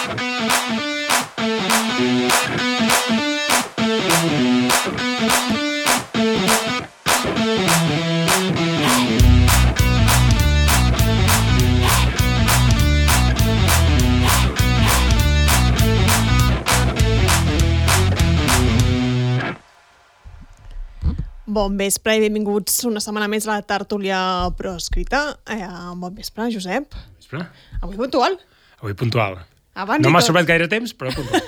Bon vespre i benvinguts una setmana més a la tertúlia proscrita. Bon vespre, Josep. Vespre? Avui puntual. Avui puntual. Abans no m'ha sobrat gaire temps, però puntual.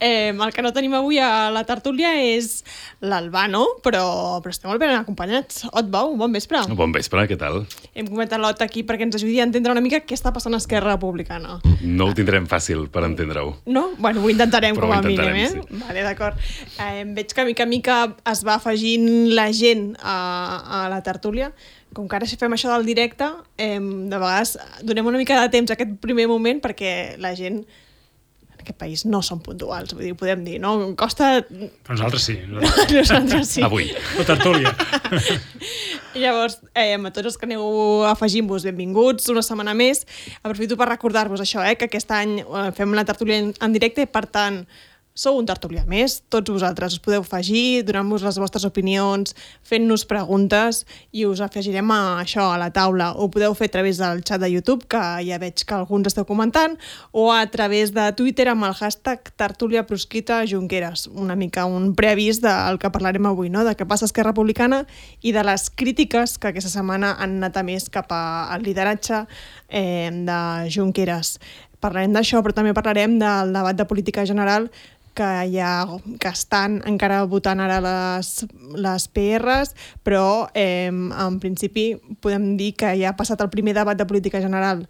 El que no tenim avui a la tertúlia és l'Albano, però estem molt ben acompanyats. Otbau, bon vespre. Bon vespre, què tal? Hem comentat l'Ot aquí perquè ens ajudi a entendre una mica què està passant a Esquerra Republicana. No ho tindrem fàcil per entendre-ho. No? Bueno, ho intentarem però com a mínim, sí. Vale, d'acord. Veig que mica en mica es va afegint la gent a la tertúlia. Com que ara si fem això del directe, de vegades donem una mica de temps a aquest primer moment perquè la gent en aquest país no són puntuals, vull dir, podem dir, no? Costa... Però nosaltres sí. Nosaltres sí. Avui. La tertúlia. Llavors, a tots els que aneu afegint-vos, benvinguts una setmana més. Aprofito per recordar-vos això, que aquest any fem la tertúlia en directe i, per tant, sou un tertulià més, tots vosaltres us podeu afegir, donant-vos les vostres opinions, fent-nos preguntes i us afegirem a això, a la taula. Ho podeu fer a través del xat de YouTube, que ja veig que alguns esteu comentant, o a través de Twitter amb el hashtag Tertúlia Proscrita Junqueras. Una mica un preavís del que parlarem avui, no? De què passa a Esquerra Republicana i de les crítiques que aquesta setmana han anat a més cap al lideratge de Junqueras. Parlarem d'això, però també parlarem del debat de política general que estan encara votant ara les PRs, però en principi podem dir que ja ha passat el primer debat de política general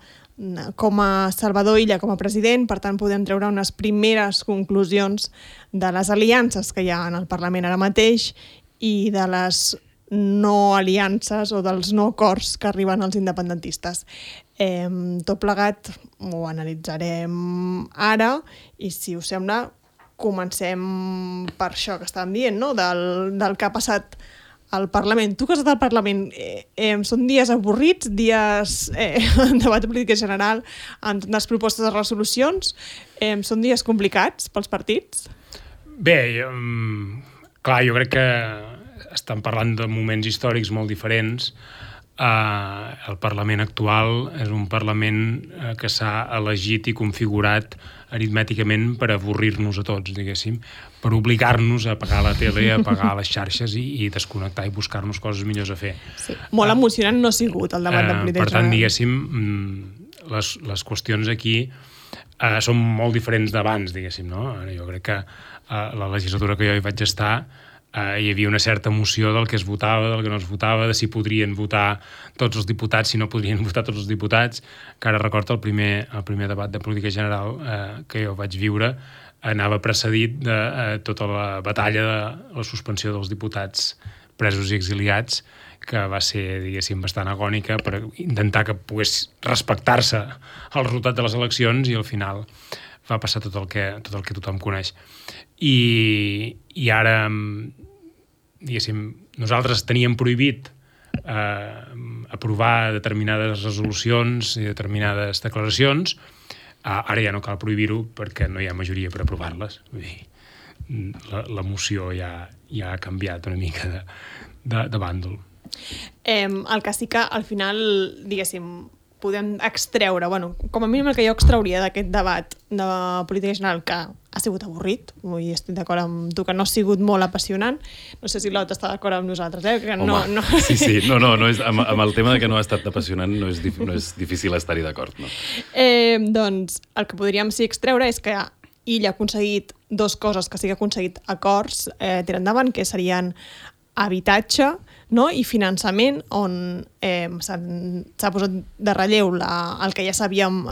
com a Salvador Illa com a president, per tant podem treure unes primeres conclusions de les aliances que hi ha en el Parlament ara mateix i de les no aliances o dels no acords que arriben als independentistes. Tot plegat ho analitzarem ara i, si us sembla, comencem per això que estàvem dient, no? Del que ha passat al Parlament. Tu que has estat al Parlament, són dies avorrits, dies en debat de política general, amb les propostes de resolucions, són dies complicats pels partits? Bé, clar, jo crec que estan parlant de moments històrics molt diferents. El Parlament actual és un Parlament que s'ha elegit i configurat aritmèticament per avorrir-nos a tots, diguéssim, per obligar-nos a apagar la tele, a apagar les xarxes i desconnectar i buscar-nos coses millors a fer. Sí, molt emocionant no ha sigut el debat de política. Per tant, diguéssim, les qüestions aquí són molt diferents d'abans, diguéssim, no? Jo crec que la legislatura que jo hi vaig estar hi havia una certa emoció del que es votava, del que no es votava, de si podrien votar tots els diputats, si no podrien votar tots els diputats, que ara recordo el primer debat de política general que jo vaig viure anava precedit de tota la batalla de la suspensió dels diputats presos i exiliats, que va ser, diguéssim, bastant agònica per intentar que pogués respectar-se el resultat de les eleccions, i al final va passar tot el que tothom coneix. I ara, diguéssim, nosaltres teníem prohibit aprovar determinades resolucions i determinades declaracions. Ara ja no cal prohibir-ho perquè no hi ha majoria per aprovar-les. Vull dir, l'emoció ja ha canviat una mica de bàndol. El que sí que al final, diguéssim, podem extreure, bueno, com a mínim el que jo extrauria d'aquest debat de política general, que ha sigut avorrit, i estic d'acord amb tu que no ha sigut molt apassionant. No sé si l'Ot està d'acord amb nosaltres, que home, no. Sí, no és, amb el tema de que no ha estat apassionant no és difícil estar-hi d'acord, no? Doncs el que podríem sí extreure és que Illa ha aconseguit dues coses, que sí que ha aconseguit acords tirar endavant, que serien habitatge, no? I finançament, on s'ha posat de relleu el que ja sabíem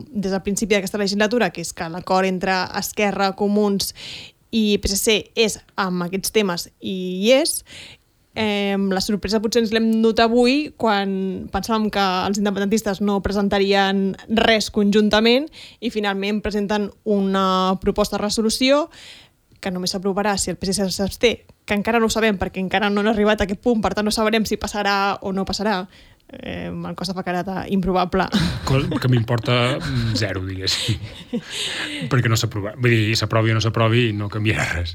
des del principi d'aquesta legislatura, que és que l'acord entre Esquerra, Comuns i PSC és amb aquests temes, i hi és. La sorpresa potser ens l'hem dut avui quan pensàvem que els independentistes no presentarien res conjuntament i finalment presenten una proposta de resolució que només s'aprovarà si el PSC s'absté, que encara no ho sabem perquè encara no han arribat a aquest punt, per tant no sabrem si passarà o no passarà el cost efecte improbable. Que m'importa zero, diguéssim. Perquè no s'aprova. Vull dir, s'aprovi o no s'aprovi, no canviarà res.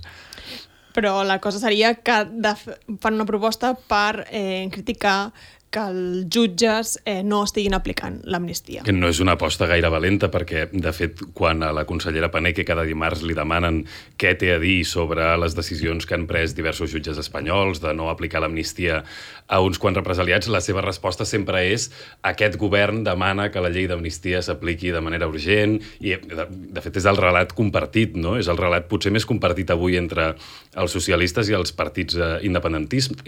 Però la cosa seria que fan una proposta per criticar que els jutges no estiguin aplicant l'amnistia. Que no és una aposta gaire valenta, perquè, de fet, quan a la consellera Paneque cada dimarts li demanen què té a dir sobre les decisions que han pres diversos jutges espanyols de no aplicar l'amnistia a uns quants represaliats, la seva resposta sempre és aquest govern demana que la llei d'amnistia s'apliqui de manera urgent, i, de fet, és el relat compartit, no? És el relat potser més compartit avui entre els socialistes i els partits independentistes,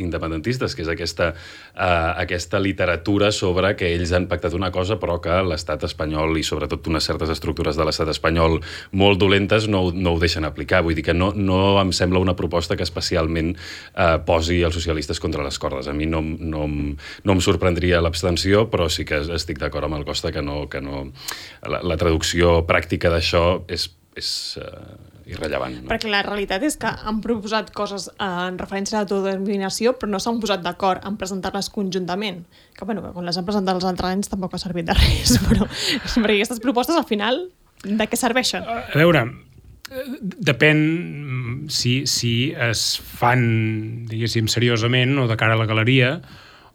que és aquesta literatura sobre que ells han pactat una cosa però que l'estat espanyol i sobretot unes certes estructures de l'estat espanyol molt dolentes no ho deixen aplicar. Vull dir que no em sembla una proposta que especialment posi els socialistes contra les cordes. A mi no em sorprendria l'abstenció, però sí que estic d'acord amb el Costa que no la traducció pràctica d'això és irrellevant. No? Perquè la realitat és que han proposat coses en referència a l'autodeterminació, però no s'han posat d'acord en presentar-les conjuntament. Que, bueno, quan les han presentat els altres anys tampoc ha servit de res, però perquè aquestes propostes, al final, de què serveixen? A veure, depèn si es fan, diguéssim, seriosament o de cara a la galeria,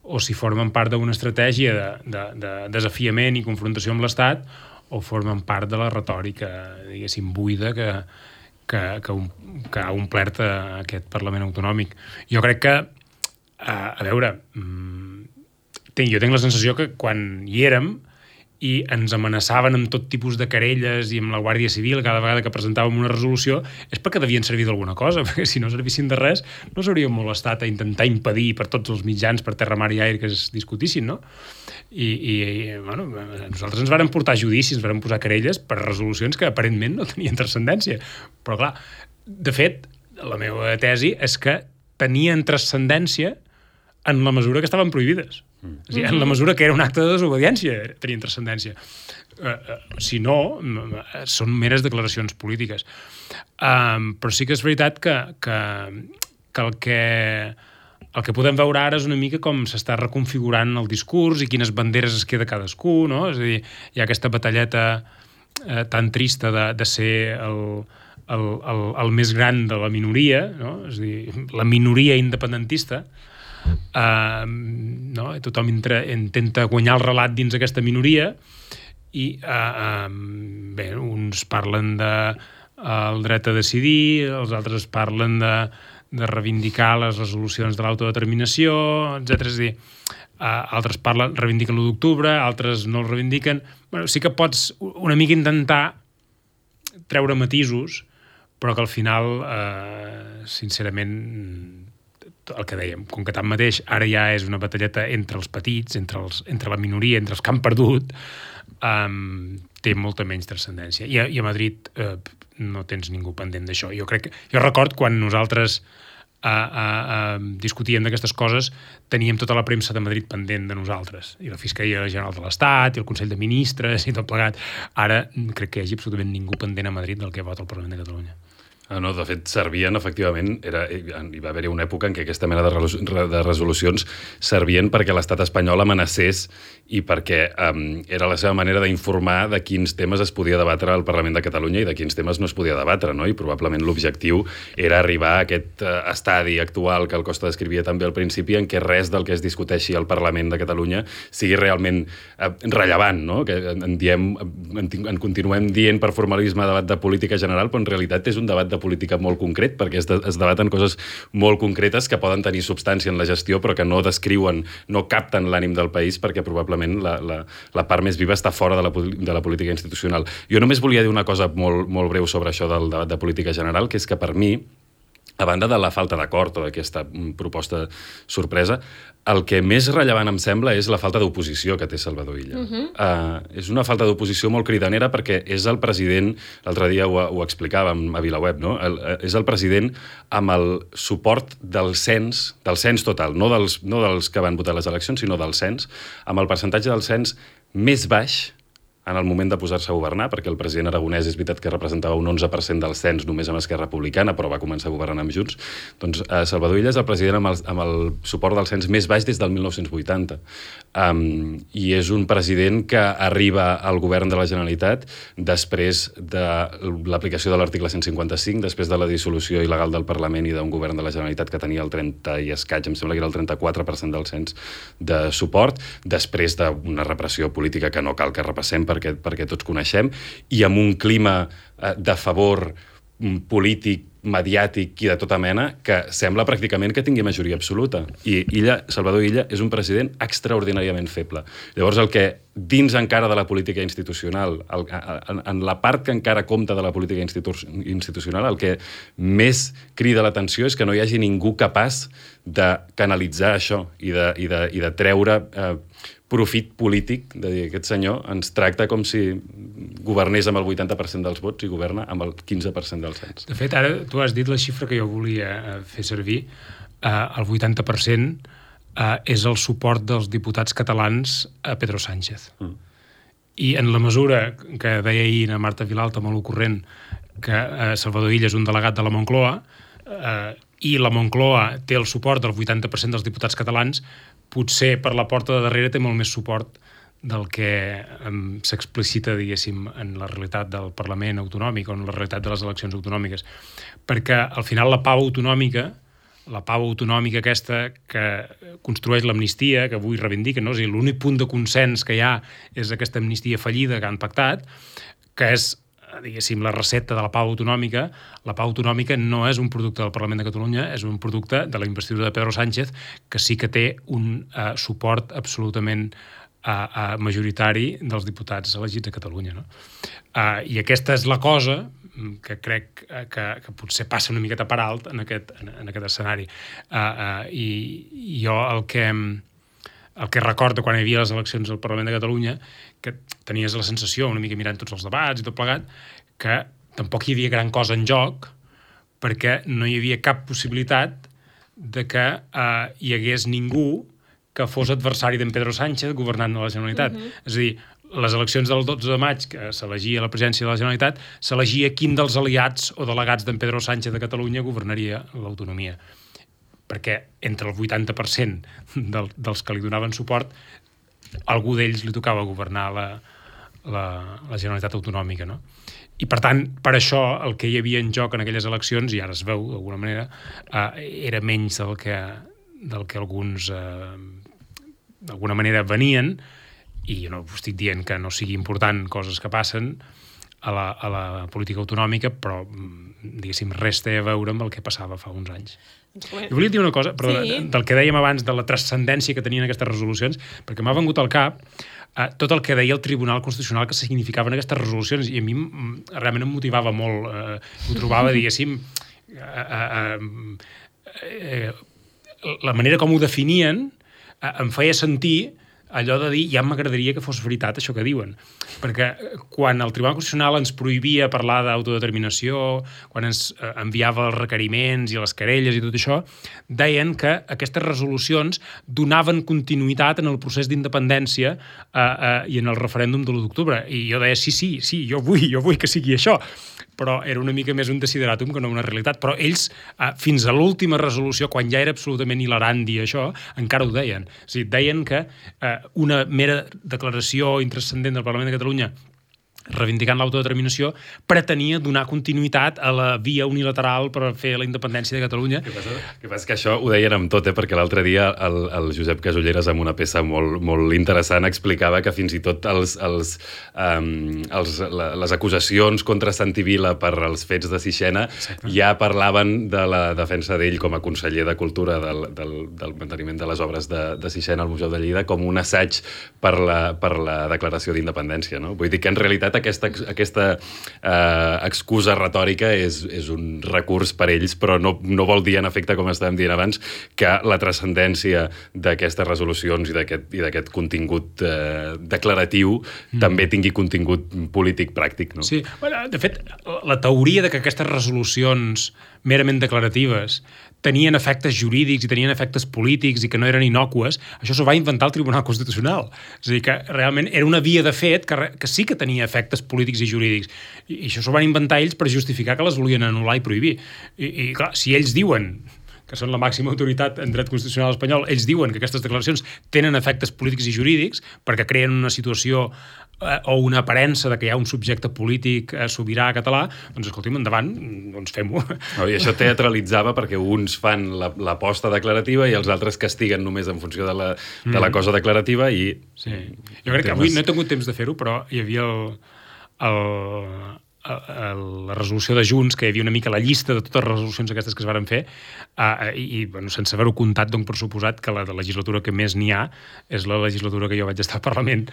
o si formen part d'una estratègia de desafiament i confrontació amb l'Estat, o formen part de la retòrica, diguéssim, buida que ha omplert aquest Parlament Autonòmic. Jo crec que, a veure, jo tinc la sensació que quan hi érem i ens amenaçaven amb tot tipus de querelles i amb la Guàrdia Civil cada vegada que presentàvem una resolució, és perquè devien servir d'alguna cosa, perquè si no servissin de res no s'hauríem molestat a intentar impedir per tots els mitjans, per terra, mar i aire, que es discutissin, no? I bueno, nosaltres ens vàrem portar judicis, ens vàrem posar querelles per resolucions que aparentment no tenien transcendència. Però clar, de fet, la meva tesi és que tenien transcendència en la mesura que estaven prohibides. És a dir, en la mesura que era un acte de desobediència tenien transcendència. Si no, són meres declaracions polítiques. Però sí que és veritat que el que podem veure ara és una mica com s'està reconfigurant el discurs i quines banderes es queda cadascú, no? És a dir, hi ha aquesta batalleta tan trista de ser el més gran de la minoria, no? És a dir, la minoria independentista, no? Tothom intenta guanyar el relat dins aquesta minoria i bé, uns parlen del dret a decidir, els altres parlen de reivindicar les resolucions de l'autodeterminació, etc. És a dir, altres reivindiquen l'1 d'octubre, altres no el reivindiquen. Bueno, sí que pots una mica intentar treure matisos, però que al final, sincerament, el que dèiem, com que tanmateix ara ja és una batalleta entre els petits, entre la minoria, entre els que han perdut, té molta menys transcendència. I a Madrid no tens ningú pendent d'això. Jo record quan nosaltres discutíem d'aquestes coses, teníem tota la premsa de Madrid pendent de nosaltres, i la Fiscalia General de l'Estat, i el Consell de Ministres, i tot plegat. Ara crec que hi hagi absolutament ningú pendent a Madrid del que vota el Parlament de Catalunya. No, de fet, servien, efectivament, hi va haver una època en què aquesta mena de resolucions servien perquè l'estat espanyol amenacés i perquè era la seva manera d'informar de quins temes es podia debatre al Parlament de Catalunya i de quins temes no es podia debatre, no? I probablement l'objectiu era arribar a aquest estadi actual que el Costa descrivia també al principi, en què res del que es discuteixi al Parlament de Catalunya sigui realment rellevant, no? Que en continuem dient per formalisme debat de política general, però en realitat és un debat de política molt concret, perquè es debaten coses molt concretes que poden tenir substància en la gestió, però que no descriuen, no capten l'ànim del país, perquè probablement la part més viva està fora de la política institucional. Jo només volia dir una cosa molt, molt breu sobre això del debat de política general, que és que per mi, a banda de la falta d'acord o d'aquesta proposta sorpresa, el que més rellevant em sembla és la falta d'oposició que té Salvador Illa. És una falta d'oposició molt cridanera perquè és el president, l'altre dia ho explicàvem a VilaWeb, no? És el president amb el suport del cens total, no dels que van votar les eleccions, sinó del cens, amb el percentatge del cens més baix en el moment de posar-se a governar, perquè el president Aragonès és veritat que representava un 11% del cens només amb Esquerra Republicana, però va començar a governar amb Junts. Doncs Salvador Illa és el president amb el suport del cens més baix des del 1980. I és un president que arriba al govern de la Generalitat després de l'aplicació de l'article 155, després de la dissolució il·legal del Parlament i d'un govern de la Generalitat que tenia el 30 i escaig, em sembla que era el 34% del cens de suport, després d'una repressió política que no cal que repassem perquè tots coneixem, i amb un clima de favor polític, mediàtic i de tota mena que sembla pràcticament que tingui majoria absoluta. I Salvador Illa és un president extraordinàriament feble. Llavors, el que dins encara de la política institucional, en la part que encara compta de la política institucional, el que més crida l'atenció és que no hi hagi ningú capaç de canalitzar això i de treure profit polític, de dir, aquest senyor ens tracta com si governés amb el 80% dels vots i governa amb el 15% dels cens. De fet, ara tu has dit la xifra que jo volia fer servir. El 80% és el suport dels diputats catalans a Pedro Sánchez. I en la mesura que deia ahir a Marta Vilalta, molt ocorrent, que Salvador Illa és un delegat de la Moncloa, i la Moncloa té el suport del 80% dels diputats catalans, potser per la porta de darrere té molt més suport del que s'explicita, diguéssim, en la realitat del Parlament autonòmic o en la realitat de les eleccions autonòmiques. Perquè, al final, la pau autonòmica aquesta que construeix l'amnistia, que avui reivindica, no? És a dir, l'únic punt de consens que hi ha és aquesta amnistia fallida que han pactat, que és, diguéssim, la recepta de la pau autonòmica. La pau autonòmica no és un producte del Parlament de Catalunya, és un producte de la investidura de Pedro Sánchez, que sí que té un suport absolutament majoritari dels diputats elegits a Catalunya. No? I aquesta és la cosa que crec que potser passa una miqueta per alt en aquest escenari. I jo el que recordo quan hi havia les eleccions al Parlament de Catalunya, que tenies la sensació, una mica mirant tots els debats i tot plegat, que tampoc hi havia gran cosa en joc, perquè no hi havia cap possibilitat de que hi hagués ningú que fos adversari d'en Pedro Sánchez governant a la Generalitat. És a dir, les eleccions del 12 de maig, que s'elegia la presidència de la Generalitat, s'elegia quin dels aliats o delegats d'en Pedro Sánchez de Catalunya governaria l'autonomia. Perquè entre el 80% dels que li donaven suport, algú d'ells li tocava governar la Generalitat Autonòmica, no? I, per tant, per això, el que hi havia en joc en aquelles eleccions, i ara es veu d'alguna manera, era menys del que alguns d'alguna manera venien, i jo no estic dient que no sigui important coses que passen a la política autonòmica, però, diguéssim, res té a veure amb el que passava fa uns anys. Jo volia dir una cosa, però del que dèiem abans, de la transcendència que tenien aquestes resolucions, perquè m'ha vengut al cap tot el que deia el Tribunal Constitucional que significaven aquestes resolucions, i a mi realment em motivava molt, ho trobava, diguéssim, la manera com ho definien em feia sentir allò de dir, ja m'agradaria que fos veritat això que diuen. Perquè quan el Tribunal Constitucional ens prohibia parlar d'autodeterminació, quan ens enviava els requeriments i les querelles i tot això, deien que aquestes resolucions donaven continuïtat en el procés d'independència i en el referèndum de l'1 d'octubre. I jo deia, sí, jo vull que sigui això. Però era una mica més un desideratum que no una realitat. Però ells, fins a l'última resolució, quan ja era absolutament hilarant dir això, encara ho deien. O sigui, deien que una mera declaració intranscendent del Parlament de Catalunya reivindicant l'autodeterminació, pretenia donar continuïtat a la via unilateral per fer la independència de Catalunya. Que passa que això ho deien amb tot, perquè l'altre dia el Josep Casulleres, amb una peça molt interessant, explicava que fins i tot les acusacions contra Santi Vila per als fets de Sixena ja parlaven de la defensa d'ell com a conseller de Cultura del manteniment de les obres de Sixena al Museu de Lleida com un assaig per la declaració d'independència. No? Vull dir que en realitat aquesta excusa retòrica és un recurs per ells, però no vol dir, en efecte, com estàvem dient abans, que la transcendència d'aquestes resolucions i d'aquest contingut declaratiu també tingui contingut polític pràctic. No? Sí, de fet, la teoria de que aquestes resolucions merament declaratives tenien efectes jurídics i tenien efectes polítics i que no eren innòcues, això s'ho va inventar el Tribunal Constitucional. És a dir, que realment era una via de fet que sí que tenia efectes polítics i jurídics. I això s'ho van inventar ells per justificar que les volien anul·lar i prohibir. I clar, si ells diuen que són la màxima autoritat en dret constitucional espanyol, ells diuen que aquestes declaracions tenen efectes polítics i jurídics perquè creen una situació o una aparença de que hi ha un subjecte polític sobirà català, doncs escolti'm, endavant, doncs fem-ho. I això teatralitzava perquè uns fan l'aposta declarativa i els altres castiguen només en funció de la cosa declarativa i... Sí. Jo crec que avui no he tingut temps de fer-ho, però hi havia la resolució de Junts, que hi havia una mica la llista de totes les resolucions aquestes que es varen fer i bueno, sense haver-ho comptat, dono per suposat que la legislatura que més n'hi ha és la legislatura que jo vaig estar al Parlament,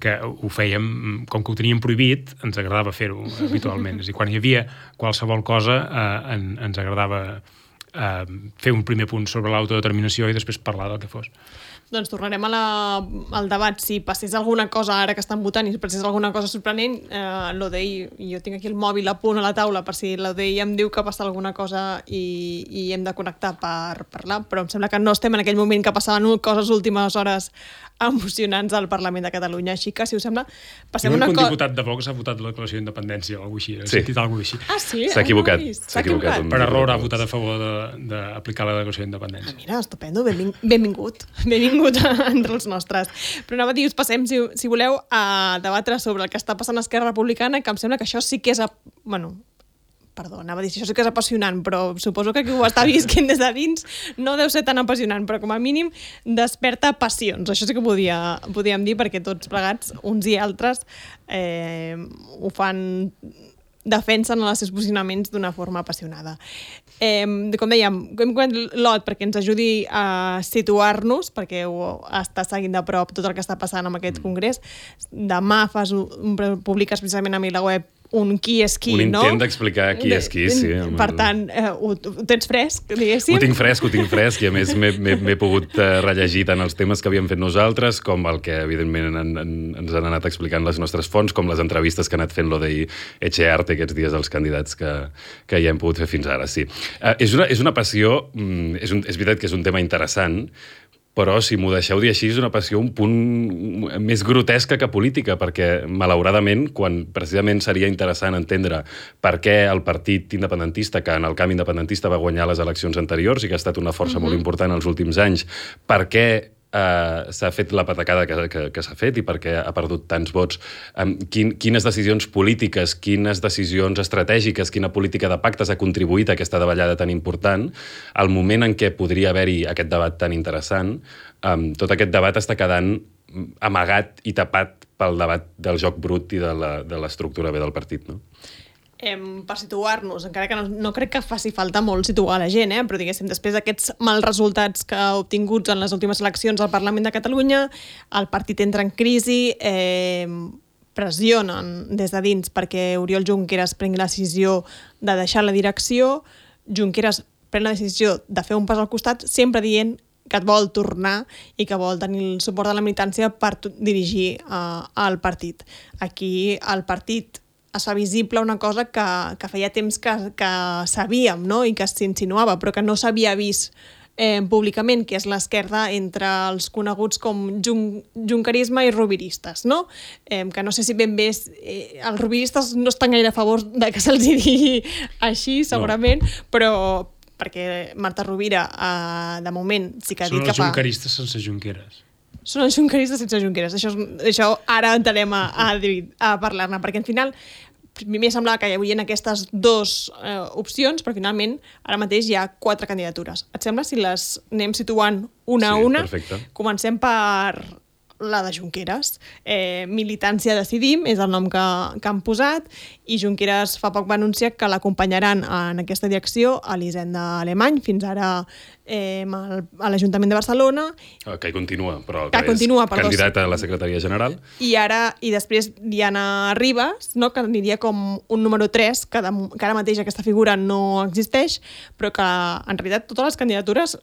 que ho fèiem, com que ho teníem prohibit, ens agradava fer-ho habitualment. És a dir, quan hi havia qualsevol cosa ens agradava fer un primer punt sobre l'autodeterminació i després parlar del que fos. Doncs tornarem al debat. Si passés alguna cosa ara que estan votant i passés alguna cosa sorprenent, l'ODI, jo tinc aquí el mòbil a punt a la taula per si l'ODI em diu que passa alguna cosa i hem de connectar per parlar, però em sembla que no estem en aquell moment que passaven coses últimes hores emocionants al Parlament de Catalunya, així que, si us sembla, passem una cosa... Un diputat de Vox ha votat la declaració d'independència o alguna cosa així, he sentit alguna cosa així. Ah, sí? S'ha equivocat. S'ha equivocat. Per error ha votat a favor d'aplicar la declaració d'independència. Mira, estupendo, benvingut entre els nostres. Però anava a dir, us passem, si voleu, a debatre sobre el que està passant a Esquerra Republicana, que em sembla que això sí que és... anava a dir, això sí que és apassionant, però suposo que qui ho està visquent des de dins no deu ser tan apassionant, però com a mínim desperta passions. Això sí que podíem dir, perquè tots plegats, uns i altres, ho fan, defensen els seus posicionaments d'una forma apassionada. Com dèiem, hem comentat l'Ot perquè ens ajudi a situar-nos, perquè ho està seguint de prop tot el que està passant amb aquest congrés. Demà publiques precisament a mi la web un qui és qui, no? Un intent d'explicar qui és qui, sí. Per tant, ho tens fresc, diguéssim? Ho tinc fresc, i a més m'he pogut rellegir tant els temes que havíem fet nosaltres com el que, evidentment, ens han anat explicant les nostres fonts, com les entrevistes que ha anat fent l'ODI Etxearte aquests dies als candidats que ja hem pogut fer fins ara, sí. És una passió, és veritat que és un tema interessant, però, si m'ho deixeu dir així, és una passió un punt més grotesca que política, perquè, malauradament, quan precisament seria interessant entendre per què el partit independentista, que en el camp independentista va guanyar les eleccions anteriors i que ha estat una força molt important els últims anys, per què s'ha fet la patacada que s'ha fet i per què ha perdut tants vots, quines decisions polítiques, quines decisions estratègiques, quina política de pactes ha contribuït a aquesta davallada tan important, al moment en què podria haver-hi aquest debat tan interessant, tot aquest debat està quedant amagat i tapat pel debat del joc brut i de l'estructura B del partit, no? Per situar-nos, encara que no crec que faci falta molt situar la gent, però diguéssim, després d'aquests mals resultats que ha obtinguts en les últimes eleccions al Parlament de Catalunya, el partit entra en crisi, pressionen des de dins perquè Oriol Junqueras prengui la decisió de deixar la direcció, Junqueras pren la decisió de fer un pas al costat, sempre dient que et vol tornar i que vol tenir el suport de la militància per dirigir el partit. Aquí el partit es fa visible una cosa que feia temps que sabíem, no? I que s'insinuava, però que no s'havia vist públicament, que és l'esquerda entre els coneguts com junquerisme i roviristes, no? Que no sé si ben bé els roviristes no estan gaire a favor de que se'ls digui així, segurament, però perquè Marta Rovira, de moment, sí que ha dit que fa... Són els junqueristes sense Junqueras. Són els junqueristes sense Junqueras. Això ara entrarem a parlar-ne, perquè al final primer semblava que hi havia aquestes dues opcions, però finalment ara mateix hi ha 4 candidatures. Et sembla si les anem situant una a una? Perfecte. Comencem per la de Junqueras. Militància Decidim és el nom que han posat, i Junqueras fa poc va anunciar que l'acompanyaran en aquesta direcció a l'Hisenda Alemany. Fins ara a l'Ajuntament de Barcelona. Que continua, però que continua, és candidat a la secretaria general. I després Diana Ribas, no? Que aniria com un número 3, que ara mateix aquesta figura no existeix, però que en realitat totes les candidatures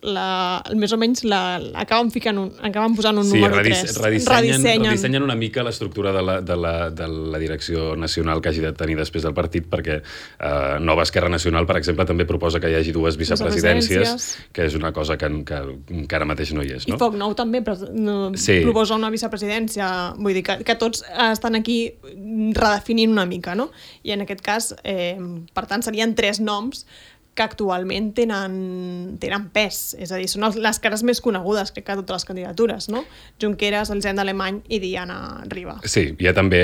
més o menys acaben posant un número 3. Redissenyen una mica l'estructura de la direcció nacional que hagi de tenir després del partit, perquè Nova Esquerra Nacional, per exemple, també proposa que hi hagi 2 vicepresidències, que és una cosa que ara mateix no hi és. No? I Foc Nou també proposa una vicepresidència. Vull dir que tots estan aquí redefinint una mica, no? I en aquest cas, per tant, serien 3 noms que actualment tenen pes. És a dir, són les cares més conegudes, crec que totes les candidatures, no? Junqueras, Elisenda Alemany i Diana Ribas. Sí, hi ha també,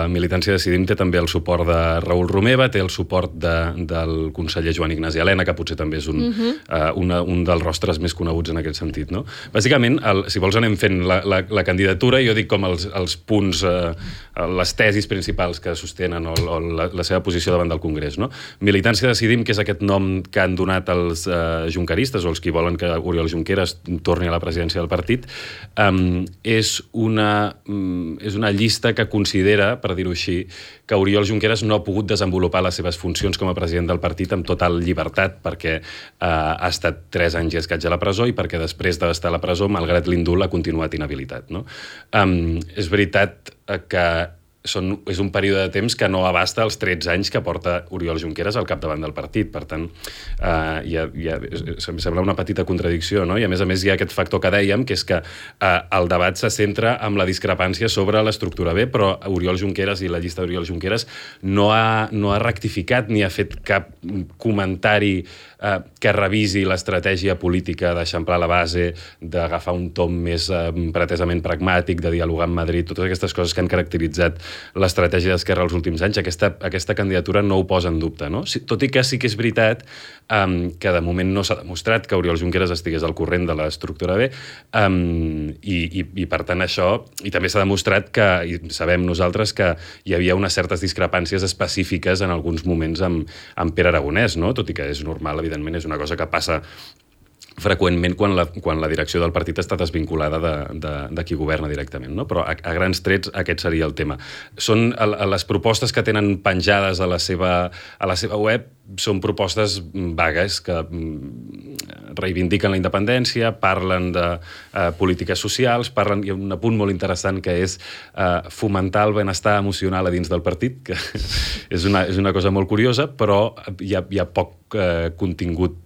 Militància Decidim té també el suport de Raül Romeva, té el suport del conseller Joan Ignasi Elena, que potser també és un dels rostres més coneguts en aquest sentit, no? Bàsicament, si vols anem fent la candidatura, jo dic com els punts, les tesis principals que sostenen o la seva posició davant del Congrés, no? Militància Decidim, que és aquest nom que han donat els junqueristes o els que volen que Oriol Junqueras torni a la presidència del partit, és una llista que considera, per dir-ho així, que Oriol Junqueras no ha pogut desenvolupar les seves funcions com a president del partit amb total llibertat, perquè ha estat 3 anys i escaig a la presó i perquè després d'estar a la presó, malgrat l'indult, ha continuat inhabilitat. No? És veritat que és un període de temps que no abasta els 13 anys que porta Oriol Junqueras al capdavant del partit. Per tant, em sembla una petita contradicció, no? I a més hi ha aquest factor que dèiem, que és que el debat se centra en la discrepància sobre l'estructura B, però Oriol Junqueras i la llista d'Oriol Junqueras no ha rectificat ni ha fet cap comentari que revisi l'estratègia política d'eixamplar la base, d'agafar un tom més pretesament pragmàtic, de dialogar amb Madrid, totes aquestes coses que han caracteritzat l'estratègia d'Esquerra els últims anys. Aquesta candidatura no ho posa en dubte, no? Tot i que sí que és veritat que de moment no s'ha demostrat que Oriol Junqueras estigués al corrent de l'estructura B, i per tant això, i també s'ha demostrat que, i sabem nosaltres, que hi havia unes certes discrepàncies específiques en alguns moments amb Pere Aragonès, no? Tot i que és normal, evidentment, és una cosa que passa freqüentment quan la direcció del partit està desvinculada de qui governa directament, no? Però a grans trets aquest seria el tema. Són les propostes que tenen penjades a la seva web, són propostes vagues que reivindiquen la independència, parlen de polítiques socials, hi ha un apunt molt interessant que és fomentar el benestar emocional a dins del partit, que és una cosa molt curiosa, però hi ha poc contingut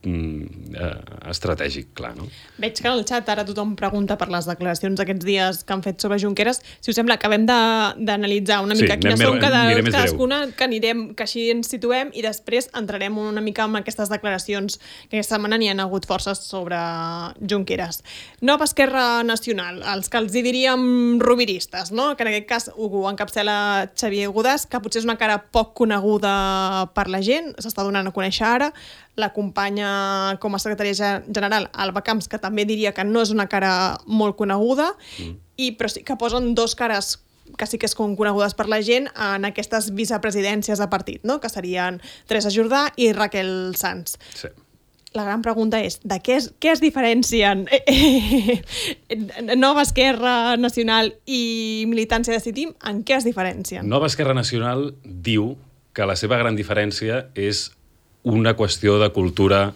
estratègic, clar, no? Veig que en el xat ara tothom pregunta per les declaracions aquests dies que han fet sobre Junqueras. Si us sembla, acabem d'analitzar una mica quines són cadascuna, que així ens situem i després entrarem una mica en aquestes declaracions que aquesta setmana n'hi ha hagut forces sobre Junqueras. Nova Esquerra Nacional, els que els hi diríem roviristes, no? Que en aquest cas ho encapçala Xavier Godàs, que potser és una cara poc coneguda per la gent, s'està donant a conèixer ara. L'acompanya com a secretària general Alba Camps, que també diria que no és una cara molt coneguda, però sí que posen 2 cares que sí que són conegudes per la gent en aquestes vicepresidències de partit, no? Que serien Teresa Jordà i Raquel Sanz. Sí. La gran pregunta és, de què es diferencien Nova Esquerra Nacional i Militància Decidim? En què es diferencien? Nova Esquerra Nacional diu que la seva gran diferència és una qüestió de cultura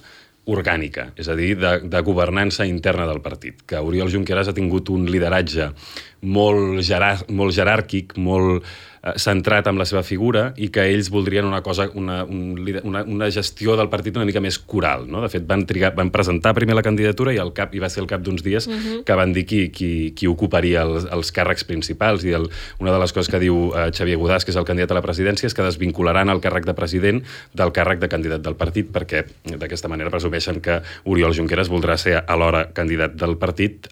orgànica, és a dir, de governança interna del partit, que Oriol Junqueras ha tingut un lideratge molt jeràrquic, molt centrat en la seva figura, i que ells voldrien una cosa, una gestió del partit una mica més coral, no? De fet, van presentar primer la candidatura i va ser al cap d'uns dies que van dir qui ocuparia els càrrecs principals, i una de les coses que diu Xavier Godàs, que és el candidat a la presidència, és que desvincularan el càrrec de president del càrrec de candidat del partit, perquè d'aquesta manera presumeixen que Oriol Junqueras voldrà ser alhora candidat del partit,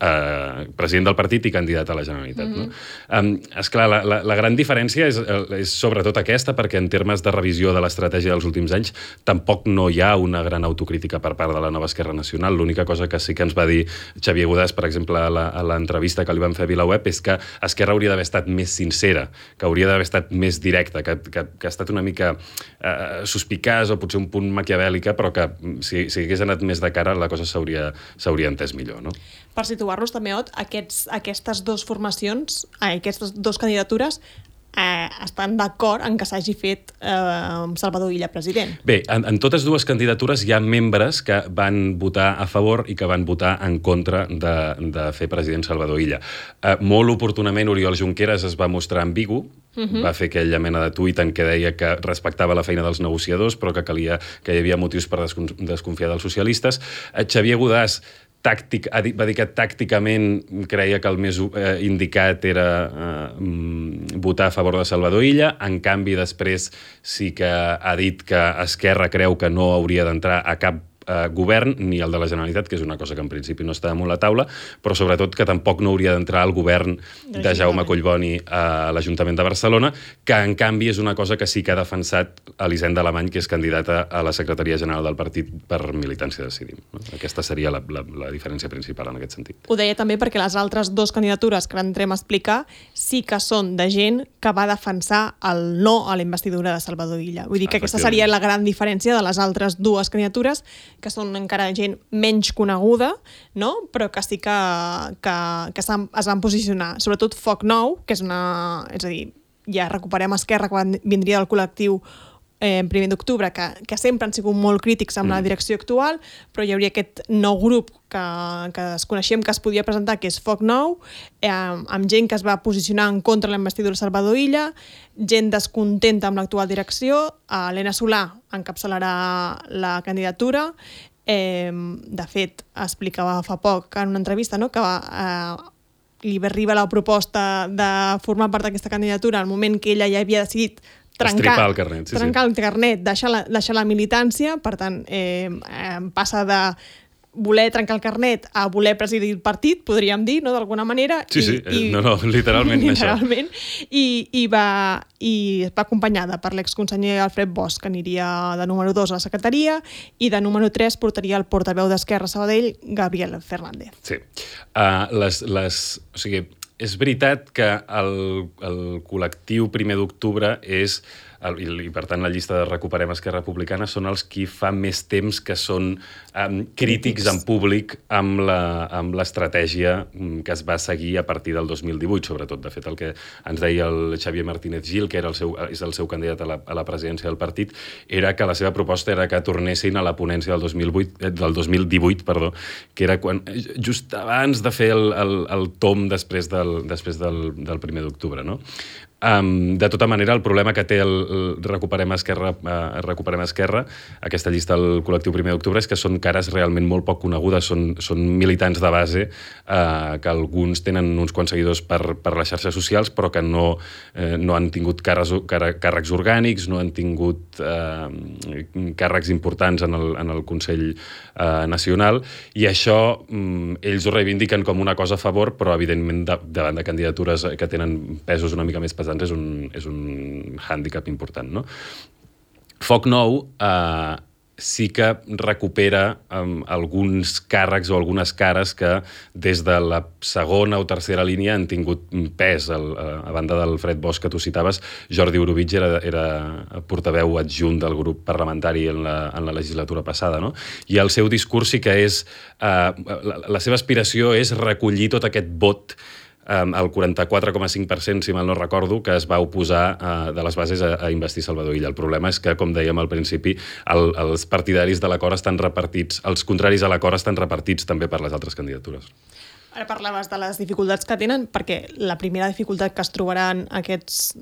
president del partit i candidat a la Generalitat. No? Esclar, la gran diferència diferència és sobretot aquesta, perquè en termes de revisió de l'estratègia dels últims anys tampoc no hi ha una gran autocrítica per part de la nova Esquerra Nacional. L'única cosa que sí que ens va dir Xavier Godàs, per exemple, a l'entrevista que li van fer a VilaWeb, és que Esquerra hauria d'haver estat més sincera, que hauria d'haver estat més directa, que ha estat una mica suspicaç o potser un punt maquiavèlica, però que si hagués anat més de cara la cosa s'hauria entès millor, no? Per situar-nos també, Ot, aquestes dues formacions, aquestes dues candidatures estan d'acord en que s'hagi fet Salvador Illa president. Bé, en totes dues candidatures hi ha membres que van votar a favor i que van votar en contra de fer president Salvador Illa. Molt oportunament Oriol Junqueras es va mostrar ambigu, va fer aquella mena de tuit en què deia que respectava la feina dels negociadors, però que hi havia motius per desconfiar dels socialistes. Xavier Godàs va dir que tàcticament creia que el més indicat era votar a favor de Salvador Illa. En canvi, després sí que ha dit que Esquerra creu que no hauria d'entrar a cap govern, ni el de la Generalitat, que és una cosa que en principi no està damunt la taula, però sobretot que tampoc no hauria d'entrar al govern de Jaume Collboni a l'Ajuntament de Barcelona, que en canvi és una cosa que sí que ha defensat Elisenda Alemany, que és candidata a la Secretaria General del partit per Militància Decidim. Aquesta seria la diferència principal en aquest sentit. Ho deia també perquè les altres dues candidatures que entrem a explicar sí que són de gent que va defensar el no a la investidura de Salvador Illa. Vull dir que aquesta seria la gran diferència de les altres dues candidatures, que són encara gent menys coneguda, no? Però que sí que es van posicionar. Sobretot Foc Nou, que és a dir, ja recuperem Esquerra, que vindria del col·lectiu primer d'octubre, que sempre han sigut molt crítics amb la direcció actual, però hi hauria aquest nou grup que desconeixem que es podia presentar, que és Foc Nou, amb gent que es va posicionar en contra de la investidura de Salvador Illa, gent descontenta amb l'actual direcció. Helena Solà encapçalarà la candidatura. De fet, explicava fa poc en una entrevista, no?, que li va arribar la proposta de formar part d'aquesta candidatura al moment que ella ja havia decidit trencar el carnet, deixar la militància. Per tant, passa de voler trencar el carnet a voler presidir el partit, podríem dir, no?, d'alguna manera. Literalment I va acompanyada per l'exconseller Alfred Bosch, que aniria de número 2 a la secretaria, i de número 3 portaria el portaveu d'Esquerra Sabadell, Gabriel Fernández. Sí. O sigui, és veritat que el col·lectiu primer d'octubre és, i per tant la llista de Recuperem Esquerra Republicana, són els qui fa més temps que són crítics en públic amb l'estratègia que es va seguir a partir del 2018, sobretot. De fet, el que ens deia el Xavier Martínez Gil, que és el seu candidat a la presidència del partit, era que la seva proposta era que tornessin a la ponència del 2018, que era just abans de fer el tomb després del primer d'octubre, no? De tota manera, el problema que té el Recuperem Esquerra, aquesta llista del col·lectiu primer d'octubre, és que són cares realment molt poc conegudes, són militants de base, que alguns tenen uns quants seguidors per les xarxes socials, però que no han tingut càrrecs orgànics, no han tingut càrrecs importants en el Consell Nacional, i això ells ho reivindiquen com una cosa a favor, però evidentment davant de candidatures que tenen pesos una mica més pesants és un hàndicap important, no? Foc Nou sí que recupera alguns càrrecs o algunes cares que des de la segona o tercera línia han tingut pes. A banda del Fred Bosch que tu citaves, Jordi Orobitg era portaveu adjunt del grup parlamentari en la legislatura passada, no? I el seu discurs sí que és... La seva aspiració és recollir tot aquest vot, el 44,5%, si mal no recordo, que es va oposar de les bases a investir Salvador Illa. El problema és que, com dèiem al principi, els partidaris de l'acord estan repartits, els contraris a l'acord estan repartits també per les altres candidatures. Ara parlaves de les dificultats que tenen, perquè la primera dificultat que es trobaran aquests,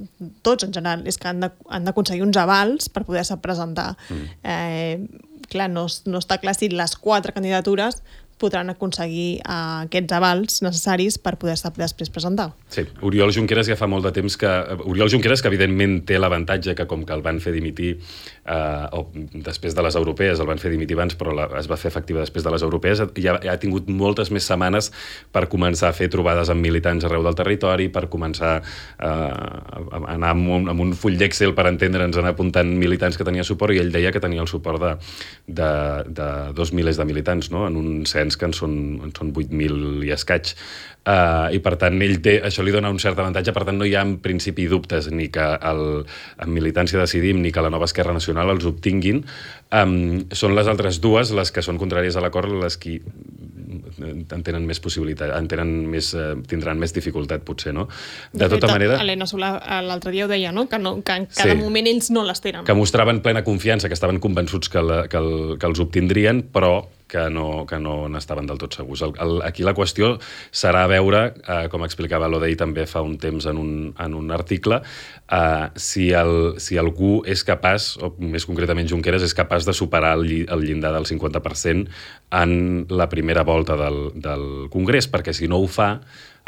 tots en general, és que han d'aconseguir uns avals per poder-se presentar. Clar, no està clar si les 4 candidatures podran aconseguir aquests avals necessaris per poder-se després presentar. Sí, Oriol Junqueras ja fa molt de temps que... Oriol Junqueras, que evidentment té l'avantatge que com que el van fer dimitir o després de les europees, el van fer dimitir abans, però es va fer efectiva després de les europees, ja ha tingut moltes més setmanes per començar a fer trobades amb militants arreu del territori, per començar a anar amb un full d'Excel per entendre'ns, anar apuntant militants que tenia suport, i ell deia que tenia el suport de 2 milers de militants, no? En un cens que en són 8.000 i escaig. I per tant això li dona un cert avantatge, per tant no hi ha en principi dubtes ni que en Militància Decidim ni que la nova Esquerra Nacional els obtinguin. Són les altres dues, les que són contràries a l'acord, les que tenen més possibilitat, tindran més dificultat potser, no? De tota manera... Helena Solà l'altre dia ho deia, no? Que en cada moment ells no les tenen. Que mostraven plena confiança, que estaven convençuts que els obtindrien, però que no n'estaven del tot segurs. Aquí la qüestió serà veure, com explicava l'Odei també fa un temps en un article, si algú és capaç, o més concretament Junqueras, és capaç de superar el llindar del 50% en la primera volta del Congrés, perquè si no ho fa,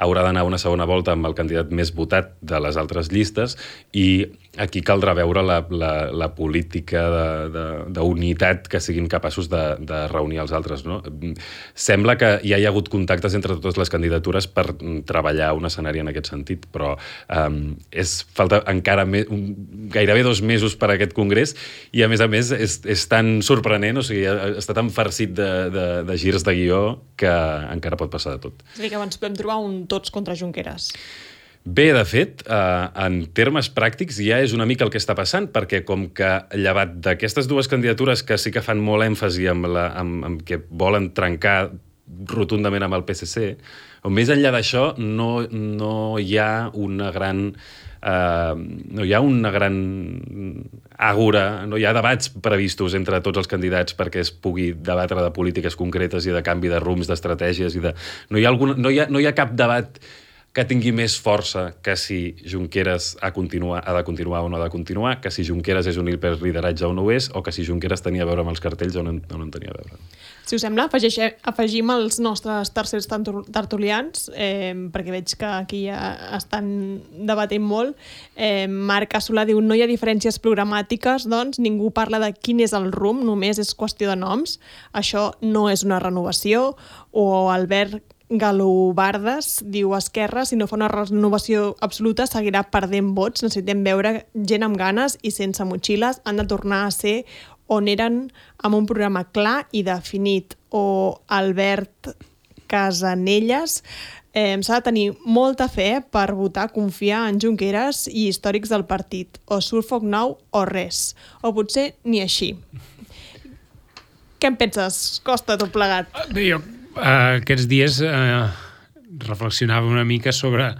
haurà d'anar a una segona volta amb el candidat més votat de les altres llistes, i aquí caldrà veure la política d'unitat que siguin capaços de reunir els altres, no? Sembla que ja hi ha hagut contactes entre totes les candidatures per treballar un escenari en aquest sentit, però falta encara gairebé 2 mesos per a aquest congrés, i a més és tan sorprenent, o sigui, està tan farcit de girs de guió que encara pot passar de tot. És a dir, que abans podem trobar un tots contra Junqueras. Bé, de fet, en termes pràctics ja és una mica el que està passant, perquè com que llevat d'aquestes dues candidatures que sí que fan molt èmfasi amb que volen trencar rotundament amb el PSC, o més enllà d'això no hi ha una gran àgora, no hi ha debats previstos entre tots els candidats perquè es pugui debatre de polítiques concretes i de canvi de rums, d'estratègies, no hi ha cap debat que tingui més força que si Junqueras ha de continuar o no ha de continuar, que si Junqueras és un hiperlideratge o no ho és, o que si Junqueras tenia a veure amb els cartells o no en tenia a veure. Si us sembla, afegim els nostres tercers tertulians, perquè veig que aquí ja estan debatent molt. Marc Solà diu: no hi ha diferències programàtiques, doncs ningú parla de quin és el rumb, només és qüestió de noms. Això no és una renovació. O Albert Galobardes diu: Esquerra, si no fa una renovació absoluta, seguirà perdent vots. Necessitem veure gent amb ganes i sense motxilles. Han de tornar a ser on eren, amb un programa clar i definit. O Albert Casanelles: s'ha de tenir molta fe per votar, confiar en Junqueras i històrics del partit. O surt foc nou o res. O potser ni així. Què en penses? Costa tot plegat. Bé, jo aquests dies reflexionava una mica sobre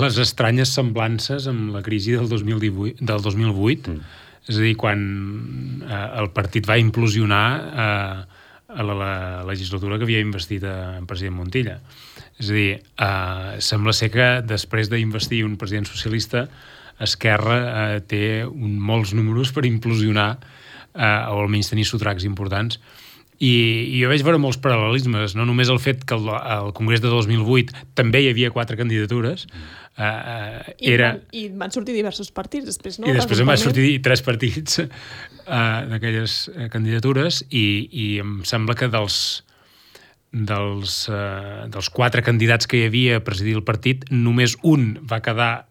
les estranyes semblances amb la crisi del 2008. És a dir, quan el partit va implosionar a la legislatura que havia investit en president Montilla. És a dir, sembla ser que després d'investir un president socialista, Esquerra té molts números per implosionar o almenys tenir sotracs importants. I jo veig veure molts paral·lelismes, no només el fet que al Congrés de 2008 també hi havia 4 candidatures. I van sortir diversos partits després, no? I després en van sortir 3 partits d'aquelles candidatures, i em sembla que dels 4 candidats que hi havia a presidir el partit, només un va quedar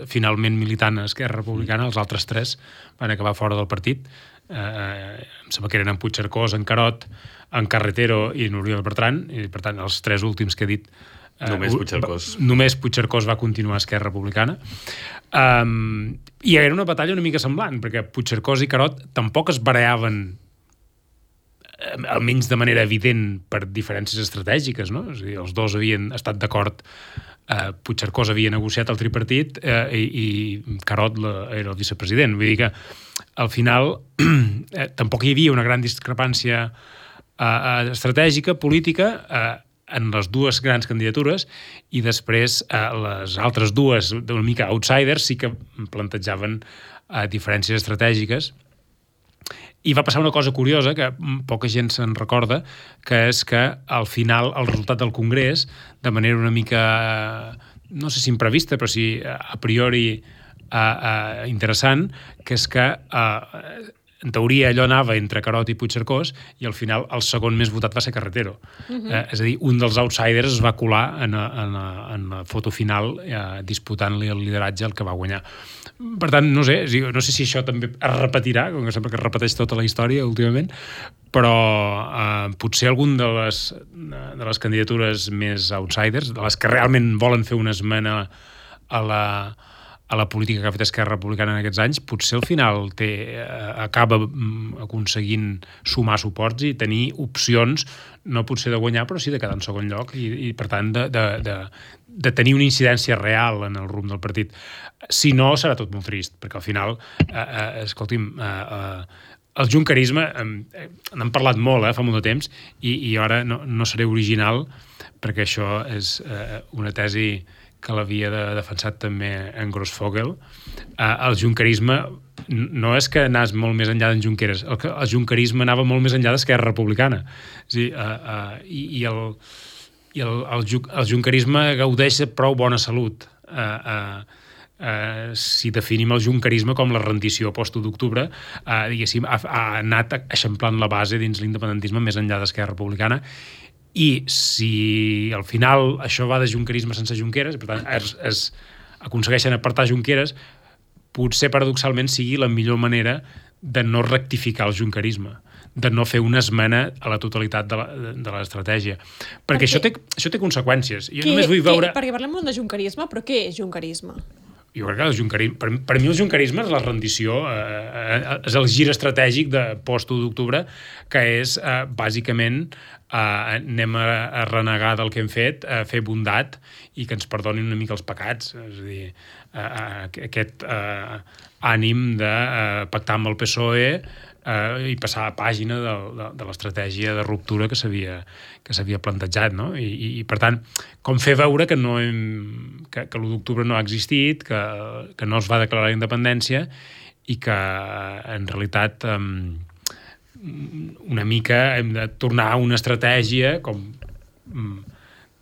finalment militant a Esquerra Republicana, els altres 3 van acabar fora del partit. Em sembla que eren en Puigcercós, en Carot, en Carretero i en Oriol Bertran, i per tant els 3 últims que he dit només Puigcercós va continuar a Esquerra Republicana. I era una batalla una mica semblant, perquè Puigcercós i Carot tampoc es barallaven, almenys de manera evident, per diferències estratègiques, no? És a dir, els dos havien estat d'acord. Puigcercós havia negociat el tripartit i Carot era el vicepresident. Vull dir que al final tampoc hi havia una gran discrepància estratègica, política, en les dues grans candidatures, i després les altres dues, una mica outsiders, sí que plantejaven diferències estratègiques. I va passar una cosa curiosa, que poca gent se'n recorda, que és que al final el resultat del Congrés, de manera una mica, no sé si imprevista, però sí a priori interessant, que és que en teoria allò anava entre Carod i Puigcercós i al final el segon més votat va ser Carretero. És a dir, un dels outsiders es va colar en la foto final disputant-li el lideratge al que va guanyar. Per tant, no sé si això també es repetirà, com que sembla que es repeteix tota la història últimament, però potser algun de les candidatures més outsiders, de les que realment volen fer una esmena a la política que ha fet Esquerra Republicana en aquests anys, potser al final acaba aconseguint sumar suports i tenir opcions, no potser de guanyar, però sí de quedar en segon lloc i per tant, de tenir una incidència real en el rumb del partit. Si no, serà tot molt trist, perquè al final, escolti'm, el junquerisme, n'hem parlat molt fa molt de temps, i ara no seré original, perquè això és una tesi que l'havia defensat també en Grossfogel. El junquerisme no és que anés molt més enllà d'en Junqueras, el junquerisme anava molt més enllà d'Esquerra Republicana. És a dir, el junquerisme gaudeix de prou bona salut. Si definim el junquerisme com la rendició post-1 d'octubre, diguéssim, ha anat eixamplant la base dins l'independentisme més enllà d'Esquerra Republicana. I si al final això va de junquerisme sense Junqueras, per tant es aconsegueixen apartar Junqueras, potser paradoxalment sigui la millor manera de no rectificar el junquerisme, de no fer una esmena a la totalitat de l'estratègia. Perquè això té conseqüències. Jo només vull veure... Perquè parlem molt de junquerisme, però què és junquerisme? Jo crec que el junquerisme, per mi el junquerisme és la rendició, és el gir estratègic de post-1 d'octubre, que és bàsicament anem a renegar del que hem fet, a fer bondat i que ens perdonin una mica els pecats. És a dir, aquest ànim de pactar amb el PSOE i passar a pàgina de l'estratègia de ruptura que s'havia plantejat, no? I per tant, com fer veure que l'1 d'octubre no ha existit, que no es va declarar la independència i que en realitat una mica hem de tornar a una estratègia com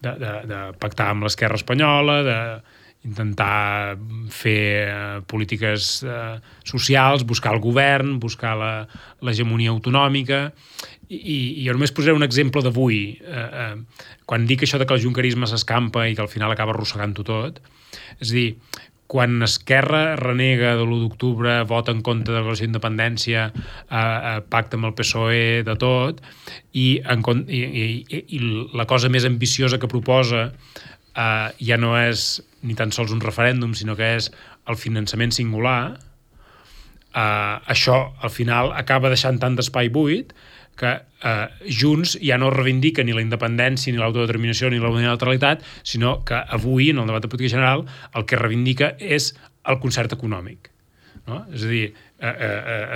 de pactar amb l'esquerra espanyola, d'intentar fer polítiques socials, buscar el govern, buscar l'hegemonia autonòmica. I jo només posaré un exemple d'avui. Quan dic això de que el junquerisme s'escampa i que al final acaba arrossegant-ho tot, és a dir, quan Esquerra renega de l'1 d'octubre, vota en contra de la declaració d'independència, pacta amb el PSOE de tot, i la cosa més ambiciosa que proposa ja no és ni tan sols un referèndum, sinó que és el finançament singular, això al final acaba deixant tant d'espai buit que Junts ja no reivindica ni la independència, ni l'autodeterminació, ni la unilateralitat, sinó que avui, en el debat de política general, el que reivindica és el concert econòmic. No? És a dir,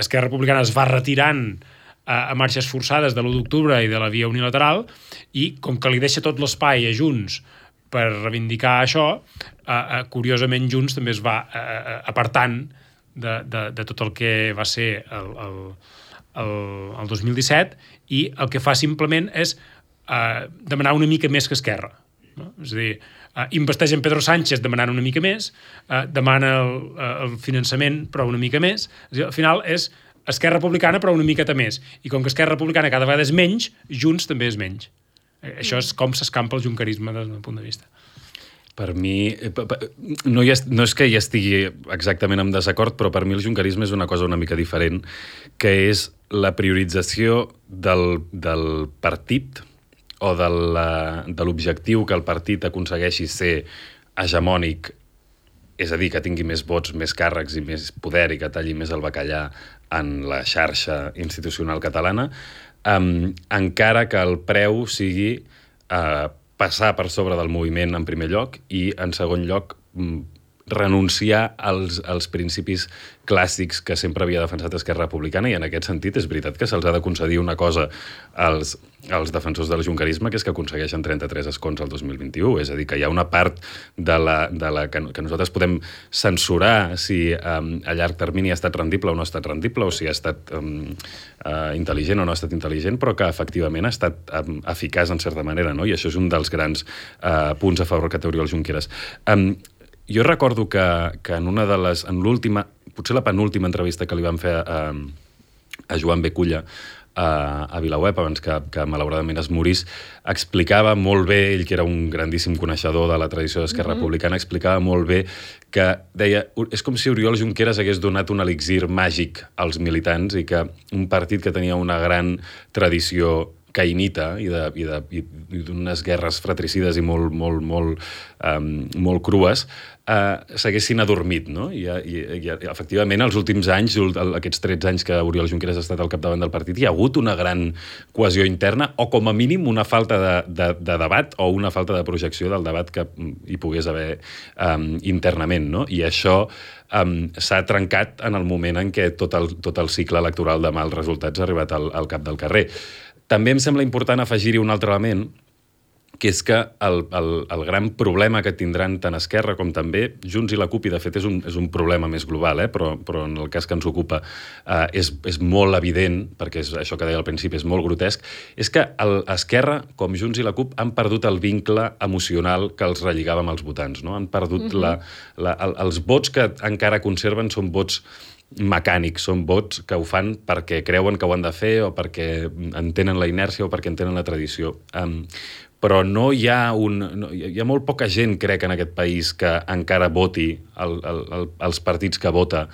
Esquerra Republicana es va retirant a marxes forçades de l'1 d'octubre i de la via unilateral, i com que li deixa tot l'espai a Junts per reivindicar això, curiosament Junts també es va apartant de tot el que va ser el 2017, i el que fa simplement és demanar una mica més que Esquerra. No? És a dir, investeix en Pedro Sánchez demanant una mica més, demana el finançament però una mica més. És a dir, al final és Esquerra Republicana però una miqueta més. I com que Esquerra Republicana cada vegada és menys, Junts també és menys. Això és com s'escampa el junquerisme des del meu punt de vista. Per mi, no és que hi estigui exactament en desacord, però per mi el junquerisme és una cosa una mica diferent, que és la priorització del partit o de l'objectiu que el partit aconsegueixi ser hegemònic, és a dir, que tingui més vots, més càrrecs i més poder i que talli més el bacallà en la xarxa institucional catalana, encara que el preu sigui passar per sobre del moviment en primer lloc i, en segon lloc, renunciar als principis clàssics que sempre havia defensat Esquerra Republicana, i en aquest sentit és veritat que se'ls ha de concedir una cosa als defensors del junquerisme, que és que aconsegueixen 33 escons al 2021. És a dir, que hi ha una part que nosaltres podem censurar si a llarg termini ha estat rendible o no ha estat rendible, o si ha estat intel·ligent o no ha estat intel·ligent, però que efectivament ha estat eficaç en certa manera, no? I això és un dels grans punts a favor que té Oriol Junqueras. Jo recordo que en l'última, potser la penúltima entrevista que li van fer a Joan B. Culla a VilaWeb, abans que malauradament es morís, explicava molt bé, ell que era un grandíssim coneixedor de la tradició d'Esquerra Republicana, explicava molt bé que deia, és com si Oriol Junqueras hagués donat un elixir màgic als militants, i que un partit que tenia una gran tradició caïnita i d'unes guerres fratricides i molt crues, s'haguessin adormit, no? I efectivament, els últims anys, aquests 13 anys que Oriol Junqueras ha estat al capdavant del partit, hi ha hagut una gran cohesió interna, o com a mínim una falta de debat, o una falta de projecció del debat que hi pogués haver internament, no? I això s'ha trencat en el moment en què tot el cicle electoral de mals resultats ha arribat al cap del carrer. També em sembla important afegir-hi un altre element, que és que el gran problema que tindran tant Esquerra com també Junts i la CUP, i de fet és un problema més global, però en el cas que ens ocupa és molt evident, perquè és això que deia al principi, és molt grotesc, és que Esquerra, com Junts i la CUP, han perdut el vincle emocional que els relligava amb els votants, no? Han perdut els vots que encara conserven són vots mecànics, són vots que ho fan perquè creuen que ho han de fer, o perquè entenen la inèrcia, o perquè entenen la tradició. Però hi ha molt poca gent, crec, en aquest país que encara voti els partits que vota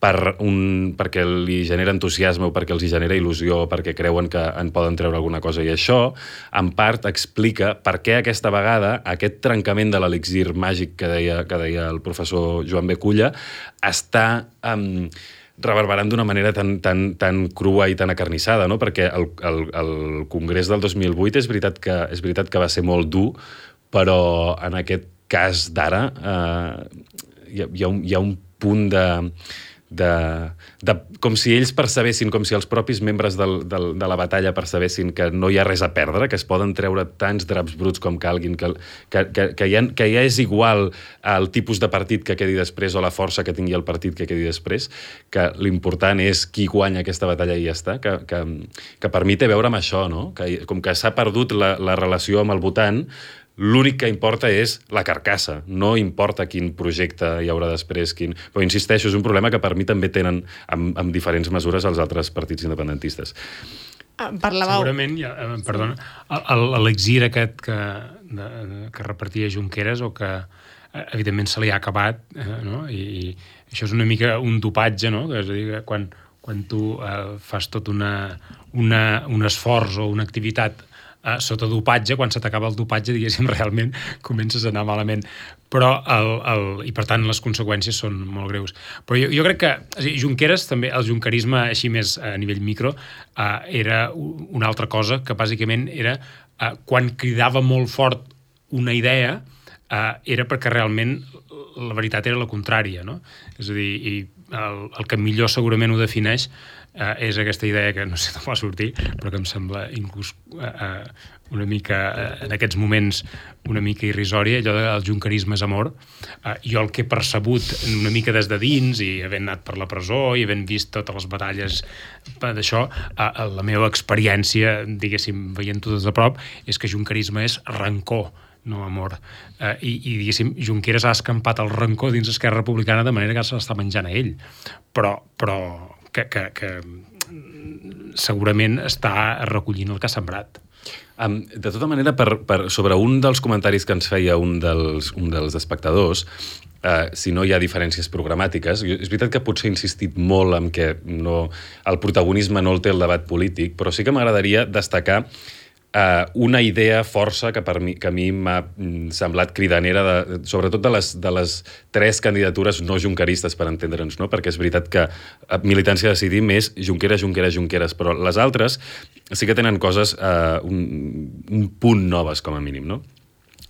perquè li genera entusiasme, o perquè els genera il·lusió, o perquè creuen que en poden treure alguna cosa. I això, en part, explica per què aquesta vegada aquest trencament de l'elixir màgic que deia el professor Joan B. Culla està reverberant d'una manera tan crua i tan acarnissada, no? Perquè el Congrés del 2008 és veritat que va ser molt dur, però en aquest cas d'ara hi ha un punt com si ells percebessin, com si els propis membres de la batalla percebessin que no hi ha res a perdre, que es poden treure tants draps bruts com calguin, que ja és igual el tipus de partit que quedi després, o la força que tingui el partit que quedi després, que l'important és qui guanya aquesta batalla i ja està, que per mi té a veure amb això, no? Com que s'ha perdut la relació amb el votant, l'únic que importa és la carcassa, no importa quin projecte hi haurà després, però insisteixo, és un problema que per mi també tenen amb diferents mesures els altres partits independentistes. Segurament, perdona, l'elixir aquest que repartia Junqueras, o que evidentment se li ha acabat, no? I això és una mica un dopatge, no? És a dir, quan tu fas tot un esforç o una activitat sota dopatge, quan se t'acaba el dopatge, diguéssim, realment comences a anar malament. Però, i per tant, les conseqüències són molt greus. Però jo crec que Junqueras, també, el junquerisme, així més a nivell micro, era una altra cosa, que bàsicament era quan cridava molt fort una idea, era perquè realment la veritat era la contrària, no? És a dir, el que millor segurament ho defineix és aquesta idea que no sé d'on va sortir, però que em sembla inclús una mica, en aquests moments, una mica irrisòria, allò del junquerisme és amor. Jo el que he percebut una mica des de dins, i havent anat per la presó i havent vist totes les batalles d'això, la meva experiència, diguéssim, veient-ho des de prop, és que junquerisme és rancor, no amor. I diguéssim, Junqueras ha escampat el rancor dins Esquerra Republicana de manera que se l'està menjant a ell. Però que segurament està recollint el que ha sembrat. De tota manera, sobre un dels comentaris que ens feia un dels espectadors, si no hi ha diferències programàtiques, és veritat que potser he insistit molt en que el protagonisme no el té el debat polític, però sí que m'agradaria destacar una idea força que a mi m'ha semblat cridanera, sobretot de les 3 candidatures no junqueristes, per entendre'ns, no? Perquè és veritat que Militància Decidim és Junqueras, però les altres sí que tenen coses un punt noves, com a mínim, no?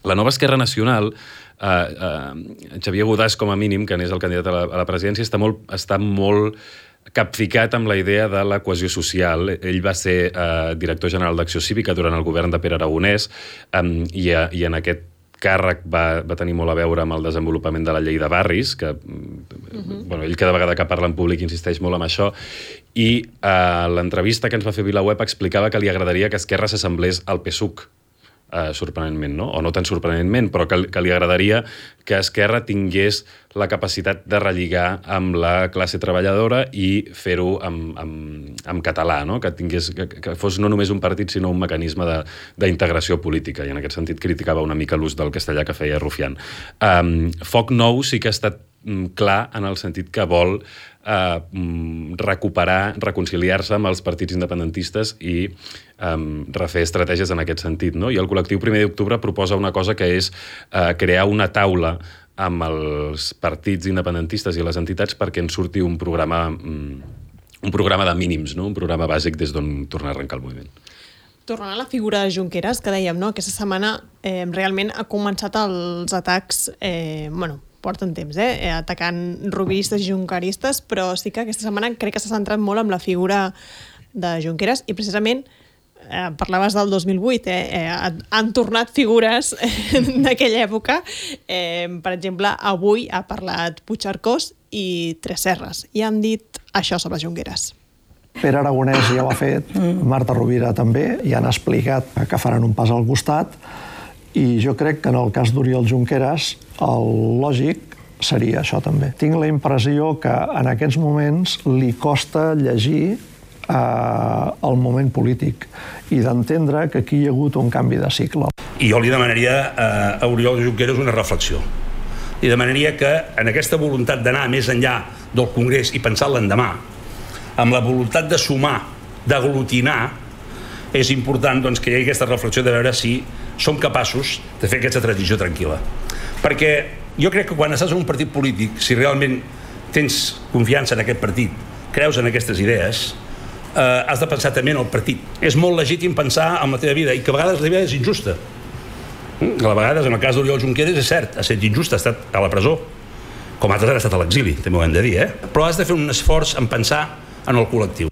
La nova Esquerra Nacional Xavier Godàs, com a mínim, que n'és el candidat a la presidència, està molt capficat amb la idea de la cohesió social. Ell va ser director general d'Acció Cívica durant el govern de Pere Aragonès i en aquest càrrec va tenir molt a veure amb el desenvolupament de la llei de barris, que ell cada vegada que parla en públic insisteix molt en això, i l'entrevista que ens va fer VilaWeb explicava que li agradaria que Esquerra s'assemblés al PSUC, sorprenentment, no? O no tan sorprenentment, però que li agradaria que Esquerra tingués la capacitat de relligar amb la classe treballadora i fer-ho en català, no? Que fos no només un partit, sinó un mecanisme d'integració política, i en aquest sentit criticava una mica l'ús del castellà que feia Rufián. Foc Nou sí que ha estat clar en el sentit que vol reconciliar-se amb els partits independentistes i refer estratègies en aquest sentit, no? I el col·lectiu 1 d'octubre proposa una cosa que és crear una taula amb els partits independentistes i les entitats perquè en surti un programa de mínims, no? Un programa bàsic des d'on tornar a arrencar el moviment. Tornant a la figura de Junqueras, que dèiem, no? Aquesta setmana realment ha començat els atacs, porten temps, atacant rubistes i junqueristes, però sí que aquesta setmana crec que s'ha centrat molt en la figura de Junqueras i precisament parlaves del 2008, han tornat figures d'aquella època. Per exemple, avui ha parlat Puigcercós i Tresserras i han dit això sobre Junqueras. Pere Aragonès ja ho ha fet, Marta Rovira també, i han explicat que faran un pas al costat, i jo crec que en el cas d'Oriol Junqueras el lògic seria això també. Tinc la impressió que en aquests moments li costa llegir el moment polític i d'entendre que aquí hi ha hagut un canvi de cicle. I jo li demanaria a Oriol Junqueras una reflexió. Li demanaria que en aquesta voluntat d'anar més enllà del Congrés i pensar l'endemà, amb la voluntat de sumar, d'aglutinar, és important que hi hagi aquesta reflexió de veure si som capaços de fer aquesta transició tranquil·la. Perquè jo crec que quan estàs en un partit polític, si realment tens confiança en aquest partit, creus en aquestes idees, has de pensar també en el partit. És molt legítim pensar en la teva vida i que a vegades la teva vida és injusta. A vegades, en el cas d'Oriol Junqueras, és cert, ha estat injusta, ha estat a la presó, com altres han estat a l'exili, també ho hem de dir, però has de fer un esforç en pensar en el col·lectiu.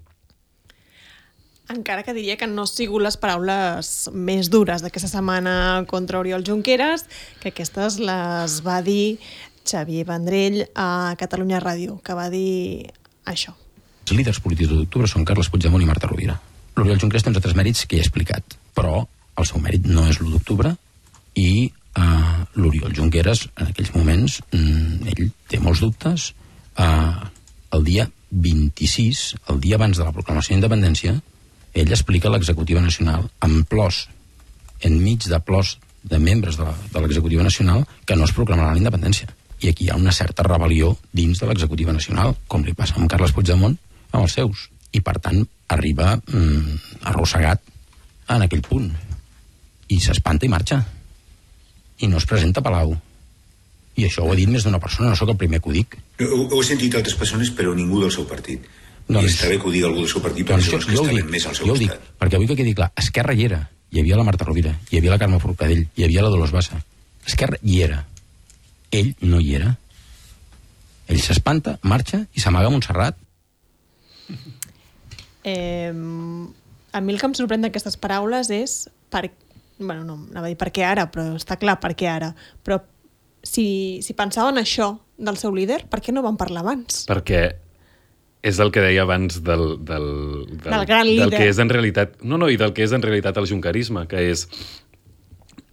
Encara que diria que no han sigut les paraules més dures d'aquesta setmana contra Oriol Junqueras, que aquestes les va dir Xavier Vendrell a Catalunya Ràdio, que va dir això. Els líders polítics de l'octubre són Carles Puigdemont i Marta Rovira. L'Oriol Junqueras té uns altres mèrits que ja he explicat, però el seu mèrit no és l'1 d'octubre i l'Oriol Junqueras, en aquells moments, ell té molts dubtes. El dia 26, el dia abans de la proclamació d'independència, ell explica a l'executiva nacional, en plors, enmig de plors de membres de l'executiva nacional, que no es proclamarà la independència. I aquí hi ha una certa rebel·lió dins de l'executiva nacional, com li passa amb Carles Puigdemont amb els seus. I, per tant, arriba arrossegat en aquell punt. I s'espanta i marxa. I no es presenta a Palau. I això ho ha dit més d'una persona, no sóc el primer que ho dic. Ho he sentit altres persones, però ningú del seu partit. I està bé que ho digui algú del seu partit, però són els que estaven més al seu costat. Perquè avui que quedi clar, Esquerra hi era. Hi havia la Marta Rovira, hi havia la Carme Forcadell, hi havia la Dolors Bassa. Esquerra hi era. Ell no hi era. Ell s'espanta, marxa i s'amaga a Montserrat. A mi el que em sorprèn d'aquestes paraules és no anava a dir per què ara, però està clar per què ara. Però si pensaven això del seu líder, per què no van parlar abans? Perquè és el que deia abans del gran líder. Del que és en realitat... i del que és en realitat el junquerisme, que és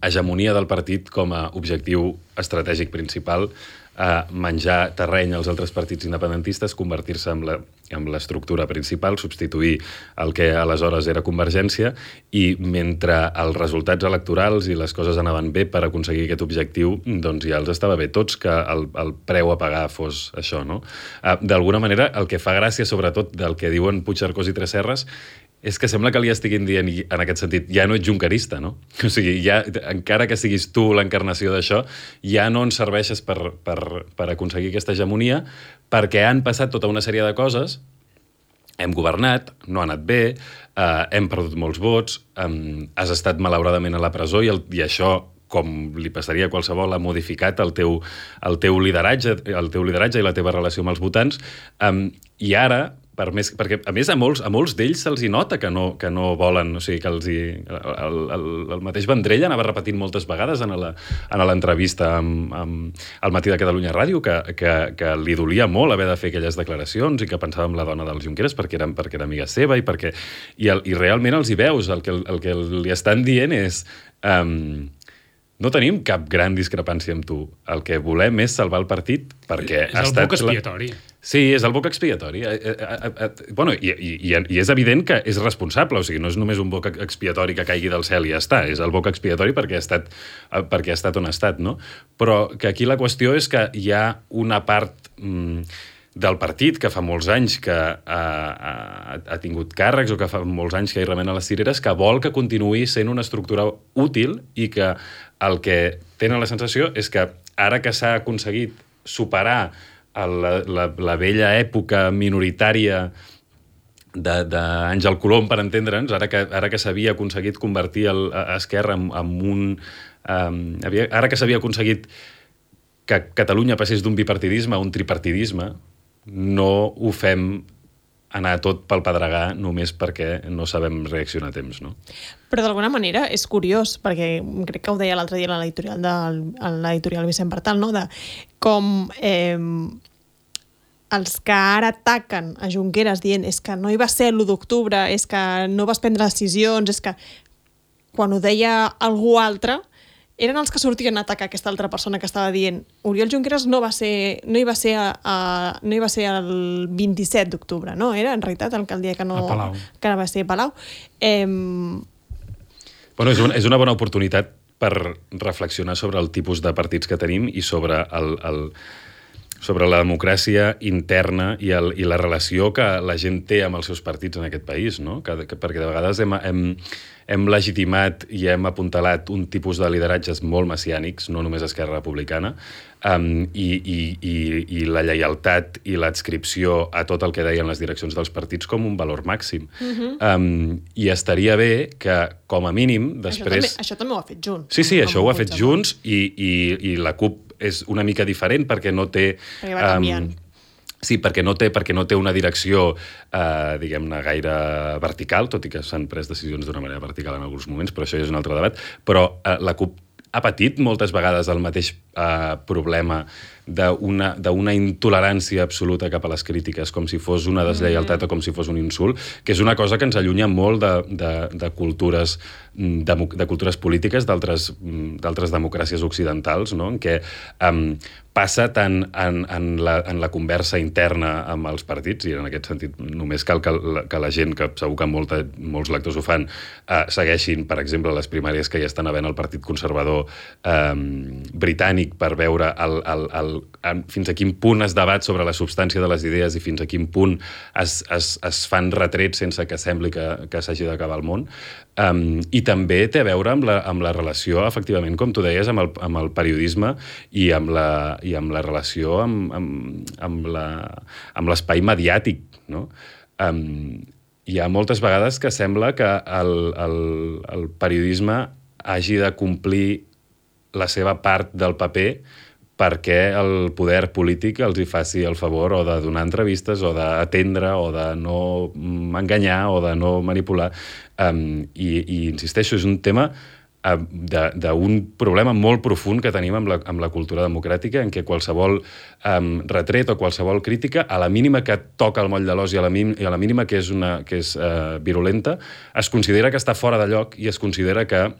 hegemonia del partit com a objectiu estratègic principal, menjar terreny als altres partits independentistes, convertir-se en l'estructura principal, substituir el que aleshores era Convergència, i mentre els resultats electorals i les coses anaven bé per aconseguir aquest objectiu, doncs ja els estava bé tots que el preu a pagar fos això, no? D'alguna manera, el que fa gràcia, sobretot, del que diuen Puigcercós i Tresserras, és que sembla que li estiguin dient, en aquest sentit, ja no ets junquerista, no? O sigui, ja, encara que siguis tu l'encarnació d'això, ja no ens serveixes per aconseguir aquesta hegemonia, perquè han passat tota una sèrie de coses, hem governat, no ha anat bé, hem perdut molts vots, has estat malauradament a la presó i això com li passaria a qualsevol, ha modificat el teu lideratge i la teva relació amb els votants, i ara, perquè a més a molts d'ells se'ls hi nota que no volen, o sigui, que el mateix Vendrell anava repetint moltes vegades en l'entrevista al Matí de Catalunya Ràdio que li dolia molt haver de fer aquelles declaracions i que pensava en la dona del Junqueras perquè era amiga seva i realment els hi veus, el que li estan dient és no tenim cap gran discrepància amb tu. El que volem és salvar el partit perquè és el boc expiatori. Sí, és el boc expiatori. Bueno, i és evident que és responsable, o sigui, no és només un boc expiatori que caigui del cel i ja està, és el boc expiatori perquè ha estat on ha estat, no? Però que aquí la qüestió és que hi ha una part del partit que fa molts anys que ha tingut càrrecs o que fa molts anys que hi remena les cireres, que vol que continuï sent una estructura útil i que el que tenen la sensació és que ara que s'ha aconseguit superar la vella època minoritària d'Àngel Colom, per entendre'ns, ara que s'havia aconseguit convertir Esquerra en un... Ara que s'havia aconseguit que Catalunya passés d'un bipartidisme a un tripartidisme, no ho fem anar tot pel pedregar només perquè no sabem reaccionar a temps, no? Però d'alguna manera és curiós, perquè crec que ho deia l'altre dia a l'editorial Vicent Bertal, no? De com els que ara ataquen a Junqueras dient és que no hi va ser l'1 d'octubre, és que no vas prendre decisions, és que quan ho deia algú altre eren els que sortien a atacar aquesta altra persona que estava dient Oriol Junqueras no hi va ser el 27 d'octubre, no? Era en realitat el dia que va ser a Palau. Bueno, és una bona oportunitat per reflexionar sobre el tipus de partits que tenim i sobre la democràcia interna i la relació que la gent té amb els seus partits en aquest país, no? Perquè de vegades hem legitimat i hem apuntalat un tipus de lideratges molt messiànics, no només Esquerra Republicana, i la lleialtat i l'adscripció a tot el que deien les direccions dels partits com un valor màxim. I estaria bé que, com a mínim, després... Això també ho ha fet Junts. Sí, això ho ha fet Junts i la CUP és una mica diferent perquè no té... Perquè va canviant. Sí, perquè no té una direcció, diguem-ne, gaire vertical, tot i que s'han pres decisions d'una manera vertical en alguns moments, però això ja és un altre debat. Però la CUP ha patit moltes vegades el mateix problema d'una intolerància absoluta cap a les crítiques, com si fos una deslleialtat o com si fos un insult, que és una cosa que ens allunya molt de cultures polítiques d'altres democràcies occidentals, no? En què passa tant en la conversa interna amb els partits, i en aquest sentit només cal que la gent, que segur que molts lectors ho fan, segueixin, per exemple, les primàries que ja estan havent al Partit Conservador britànic per veure fins a quin punt es debat sobre la substància de les idees i fins a quin punt es fan retrets sense que sembli que s'hagi d'acabar el món. I també té a veure amb la relació, efectivament, com tu deies, amb el periodisme i amb la relació amb l'espai mediàtic, no? Hi ha moltes vegades que sembla que el periodisme hagi de complir la seva part del paper perquè el poder polític els hi faci el favor o de donar entrevistes o d'atendre o de no enganyar o de no manipular. I insisteixo, és un tema d'un problema molt profund que tenim amb la cultura democràtica, en què qualsevol retret o qualsevol crítica, a la mínima que toca el moll de l'os i a la mínima que és virulenta, es considera que està fora de lloc i es considera que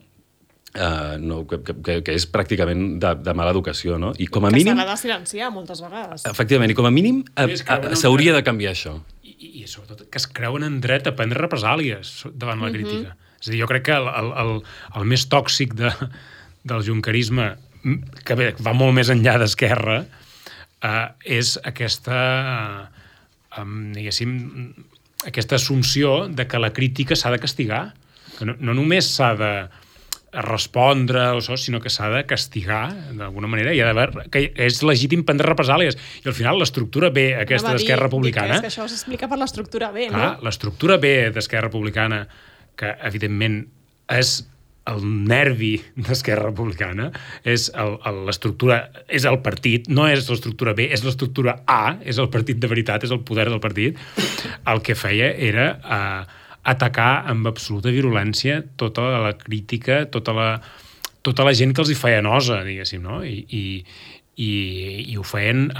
és pràcticament de mala educació, no? I com a mínim... Que s'ha de silenciar moltes vegades. Efectivament, i com a mínim s'hauria de canviar això. I sobretot que es creuen en dret a prendre represàlies davant la crítica. És a dir, jo crec que el més tòxic del junquerisme, que va molt més enllà d'Esquerra, és aquesta, diguéssim, aquesta assumpció de que la crítica s'ha de castigar. Que no només s'ha de respondre o això, sinó que s'ha de castigar d'alguna manera i ha d'haver que és legítim prendre represàlies. I al final l'estructura B aquesta d'Esquerra Republicana... És que això s'explica per l'estructura B, no? L'estructura B d'Esquerra Republicana, que evidentment és el nervi d'Esquerra Republicana és l'estructura, és el partit, no és l'estructura B, és l'estructura A, és el partit de veritat, és el poder del partit. El que feia era atacar amb absoluta virulència tota la crítica, tota la gent que els hi feia nosa, diguéssim, no? I ho feien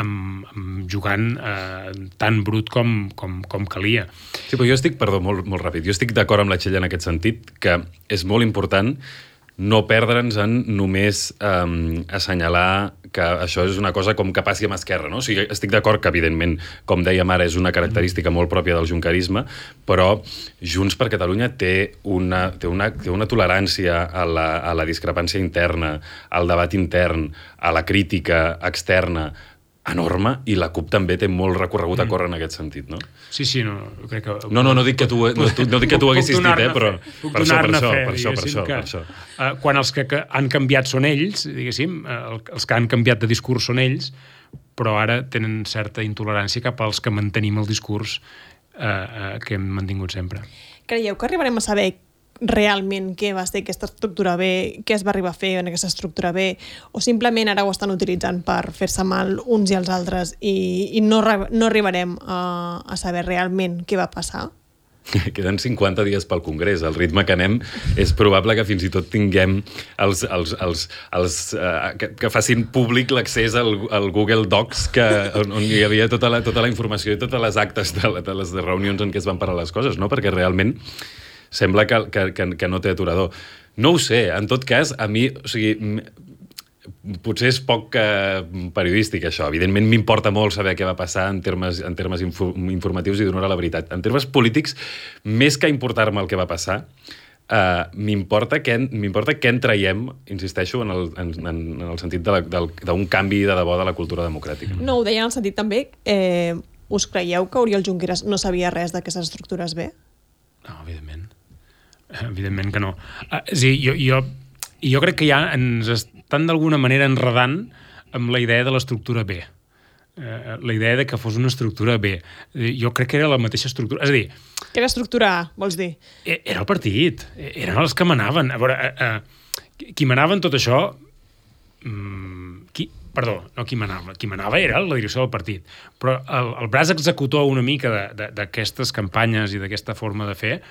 jugant tan brut com calia. Sí, però jo estic, perdó, molt ràpid, jo estic d'acord amb la Txell en aquest sentit, que és molt important no perdre'ns en només assenyalar que això és una cosa com que passi amb Esquerra, no? O sigui, estic d'acord que, evidentment, com dèiem ara, és una característica molt pròpia del junquerisme, però Junts per Catalunya té una tolerància a la discrepància interna, al debat intern, a la crítica externa, enorme, i la CUP també té molt recorregut a córrer en aquest sentit, no? Sí, no, crec que... No dic que tu ho haguessis dit, però per això. Quan els que han canviat són ells, diguéssim, els que han canviat de discurs són ells, però ara tenen certa intolerància cap als que mantenim el discurs que hem mantingut sempre. Creieu que arribarem a saber realment què va ser aquesta estructura B, què es va arribar a fer en aquesta estructura B, o simplement ara ho estan utilitzant per fer-se mal uns i els altres i no arribarem a saber realment què va passar? Queden 50 dies pel Congrés. El ritme que anem és probable que fins i tot tinguem que facin públic l'accés al Google Docs on hi havia tota la informació i totes les actes de les reunions en què es van parar les coses, no? Perquè realment sembla que no té aturador. No ho sé, en tot cas, a mi, o sigui, potser és poc periodístic, això. Evidentment, m'importa molt saber què va passar en termes informatius i donar la veritat. En termes polítics, més que importar-me el que va passar, m'importa què en traiem, insisteixo, en el sentit d'un canvi de debò de la cultura democràtica. No, ho deia en el sentit també, us creieu que Oriol Junqueras no sabia res d'aquestes estructures B? No, evidentment que no. Jo crec que ja ens estan d'alguna manera enredant amb la idea de l'estructura B. La idea de que fos una estructura B. Jo crec que era la mateixa estructura. És a dir... Que era estructura A, vols dir? Era el partit. Eren els que manaven. A veure, qui manava en tot això... Qui manava era la direcció del partit. Però el braç executor una mica d'aquestes campanyes i d'aquesta forma de fer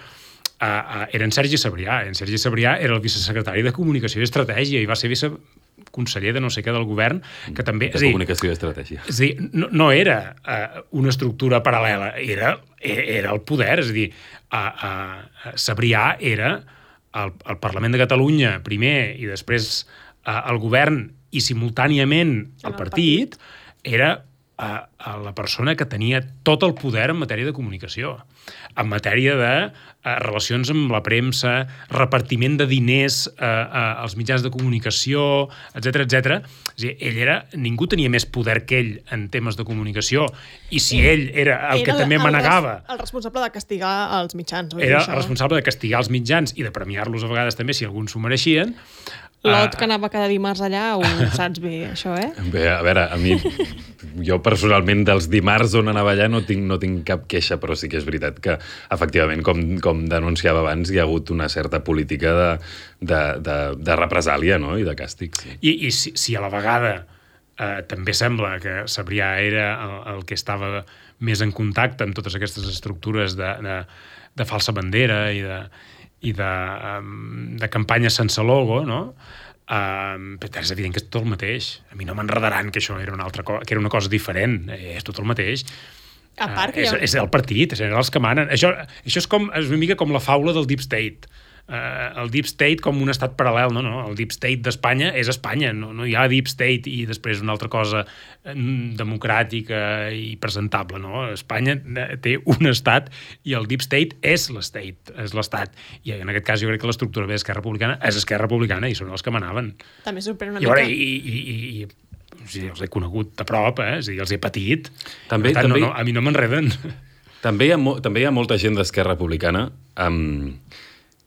era en Sergi Sabrià. En Sergi Sabrià era el vicesecretari de Comunicació i Estratègia i va ser viceconseller de no sé què del govern, que també... De Comunicació i Estratègia. És a dir, no era una estructura paral·lela, era el poder. És a dir, Sabrià era el Parlament de Catalunya primer i després el govern i simultàniament el partit, era la persona que tenia tot el poder en matèria de comunicació, en matèria de relacions amb la premsa, repartiment de diners als mitjans de comunicació, etc. És a dir, ningú tenia més poder que ell en temes de comunicació, i si ell era el que també manegava... El responsable de castigar els mitjans. Era el responsable de castigar els mitjans i de premiar-los a vegades també si alguns s'ho mereixien. L'Ot que anava cada dimarts allà, ho saps bé, això, Bé, a veure, a mi, jo personalment dels dimarts on anava allà no tinc cap queixa, però sí que és veritat que, efectivament, com denunciava abans, hi ha hagut una certa política de represàlia, no?, i de càstig. Sí. I si a la vegada també sembla que Sabrià era el que estava més en contacte amb totes aquestes estructures de falsa bandera i de campanya sense logo, no? Però és evident que és tot el mateix. A mi no m'enredaran que això era una altra cosa, que era una cosa diferent. És tot el mateix. A part que és el partit, eren els que manen. Això és una mica com la faula del Deep State. El Deep State com un estat paral·lel, no? El Deep State d'Espanya és Espanya, no hi ha Deep State i després una altra cosa democràtica i presentable, no? Espanya té un estat i el Deep State és l'estat. I en aquest cas jo crec que l'estructura B d'Esquerra Republicana és Esquerra Republicana i són els que manaven. També sorprèn una mica. I els he conegut de prop, és a dir, els he patit. També, per tant, no, a mi no m'enreden. També hi ha molta gent d'Esquerra Republicana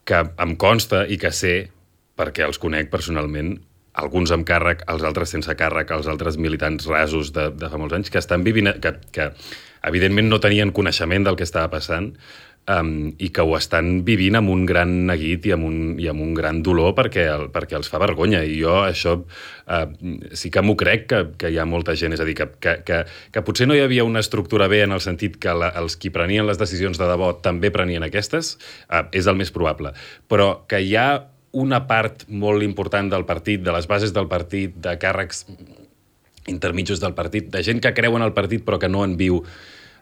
que em consta i que sé, perquè els conec personalment, alguns amb càrrec, els altres sense càrrec, els altres militants rasos de fa molts anys, que estan vivint, que evidentment no tenien coneixement del que estava passant, i que ho estan vivint amb un gran neguit i amb un gran dolor perquè els fa vergonya. I jo això sí que m'ho crec, que hi ha molta gent. És a dir, que potser no hi havia una estructura bé en el sentit que els qui prenien les decisions de debò també prenien aquestes, és el més probable. Però que hi ha una part molt important del partit, de les bases del partit, de càrrecs intermitjos del partit, de gent que creu en el partit però que no en viu,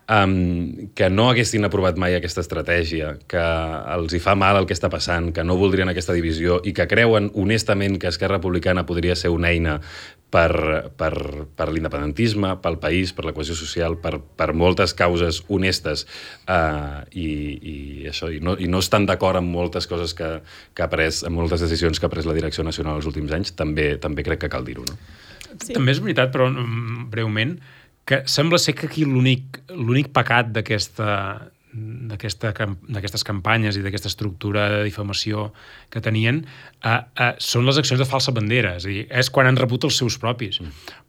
que no haguessin aprovat mai aquesta estratègia, que els hi fa mal el que està passant, que no voldrien aquesta divisió i que creuen honestament que Esquerra Republicana podria ser una eina per l'independentisme, pel país, per la cohesió social, per moltes causes honestes i no estan d'acord amb moltes coses que ha pres, amb moltes decisions que ha pres la direcció nacional els últims anys, també crec que cal dir-ho, no? Sí. També és veritat, però breument, que sembla ser que aquí l'únic pecat d'aquestes campanyes i d'aquesta estructura de difamació que tenien són les accions de falsa bandera. És a dir, és quan han rebut els seus propis.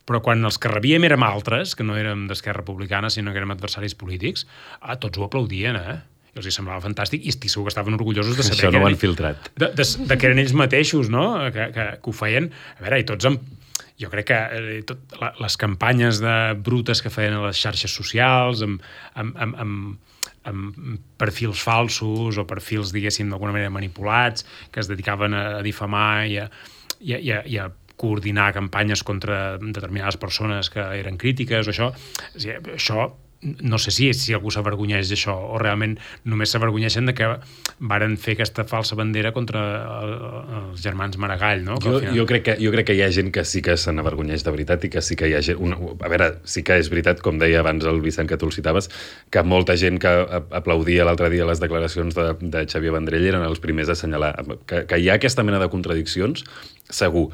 Però quan els que rebíem érem altres, que no érem d'Esquerra Republicana, sinó que érem adversaris polítics, tots ho aplaudien, I els hi semblava fantàstic i estic segur que estaven orgullosos de saber això no ho han filtrat. De que eren ells mateixos, no? Que ho feien. A veure, i tots jo crec que les campanyes brutes que feien a les xarxes socials, amb perfils falsos o perfils, diguéssim, d'alguna manera manipulats, que es dedicaven a difamar i a coordinar campanyes contra determinades persones que eren crítiques o això. Això no sé si algú s'avergonyeix d'això o realment només s'avergonyeixen de que varen fer aquesta falsa bandera contra els germans Maragall, no? Jo crec que hi ha gent que sí que se n'avergonyeix de veritat i que sí que hi ha gent... A veure, sí que és veritat, com deia abans el Vicent, que tu el citaves, que molta gent que aplaudia l'altre dia les declaracions de Xavier Vendrell eren els primers a assenyalar. Que hi ha aquesta mena de contradiccions, segur.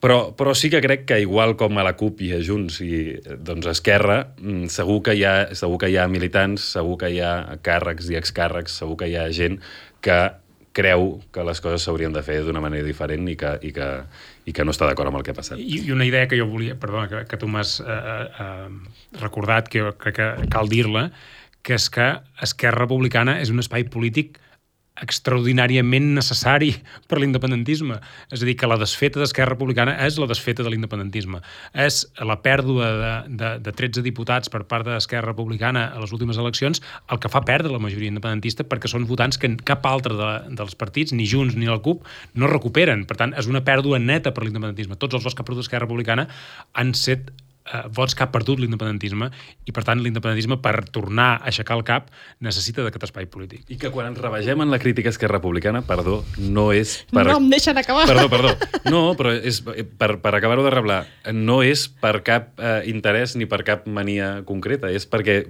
Però sí que crec que igual com a la CUP i a Junts i doncs a Esquerra, segur que hi ha militants, segur que hi ha càrrecs i excàrrecs, segur que hi ha gent que creu que les coses s'haurien de fer d'una manera diferent i que no està d'acord amb el que ha passat. I una idea que jo volia, perdona, que tu m'has recordat, que jo crec que cal dir-la, que és que Esquerra Republicana és un espai polític extraordinàriament necessari per l'independentisme. És a dir, que la desfeta d'Esquerra Republicana és la desfeta de l'independentisme. És la pèrdua de 13 diputats per part d'Esquerra Republicana a les últimes eleccions el que fa perdre la majoria independentista perquè són votants que cap altre dels partits, ni Junts ni la CUP, no recuperen. Per tant, és una pèrdua neta per l'independentisme. Tots els vots que ha perdut Esquerra Republicana han set vots que ha perdut l'independentisme i, per tant, l'independentisme, per tornar a aixecar el cap, necessita d'aquest espai polític. I que quan ens rebegem en la crítica a Esquerra Republicana, perdó, no és per... No em deixen acabar. Perdó. No, però és per acabar-ho de reblar, no és per cap interès ni per cap mania concreta, és perquè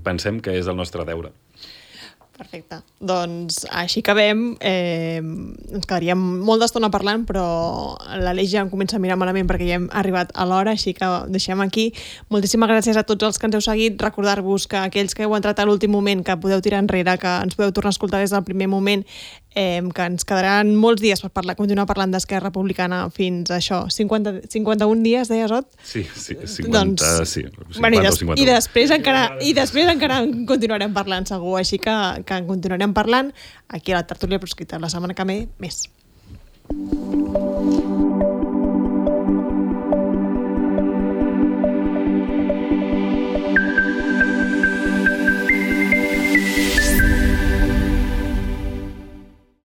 pensem que és el nostre deure. Perfecte. Doncs així acabem. Ens quedaríem molt d'estona parlant, però l'Aleix ja em comença a mirar malament perquè ja hem arribat a l'hora, així que deixem aquí. Moltíssimes gràcies a tots els que ens heu seguit. Recordar-vos que aquells que heu entrat a l'últim moment, que podeu tirar enrere, que ens podeu tornar a escoltar des del primer moment, que ens quedaran molts dies per continuar parlant d'Esquerra Republicana fins a això, 51 dies, deies, Ot? Sí, 50, sí. 50 bueno, o 51. I després encara en continuarem parlant, segur, així que en continuarem parlant aquí a la Tertúlia Proscrita. La setmana que ve, més.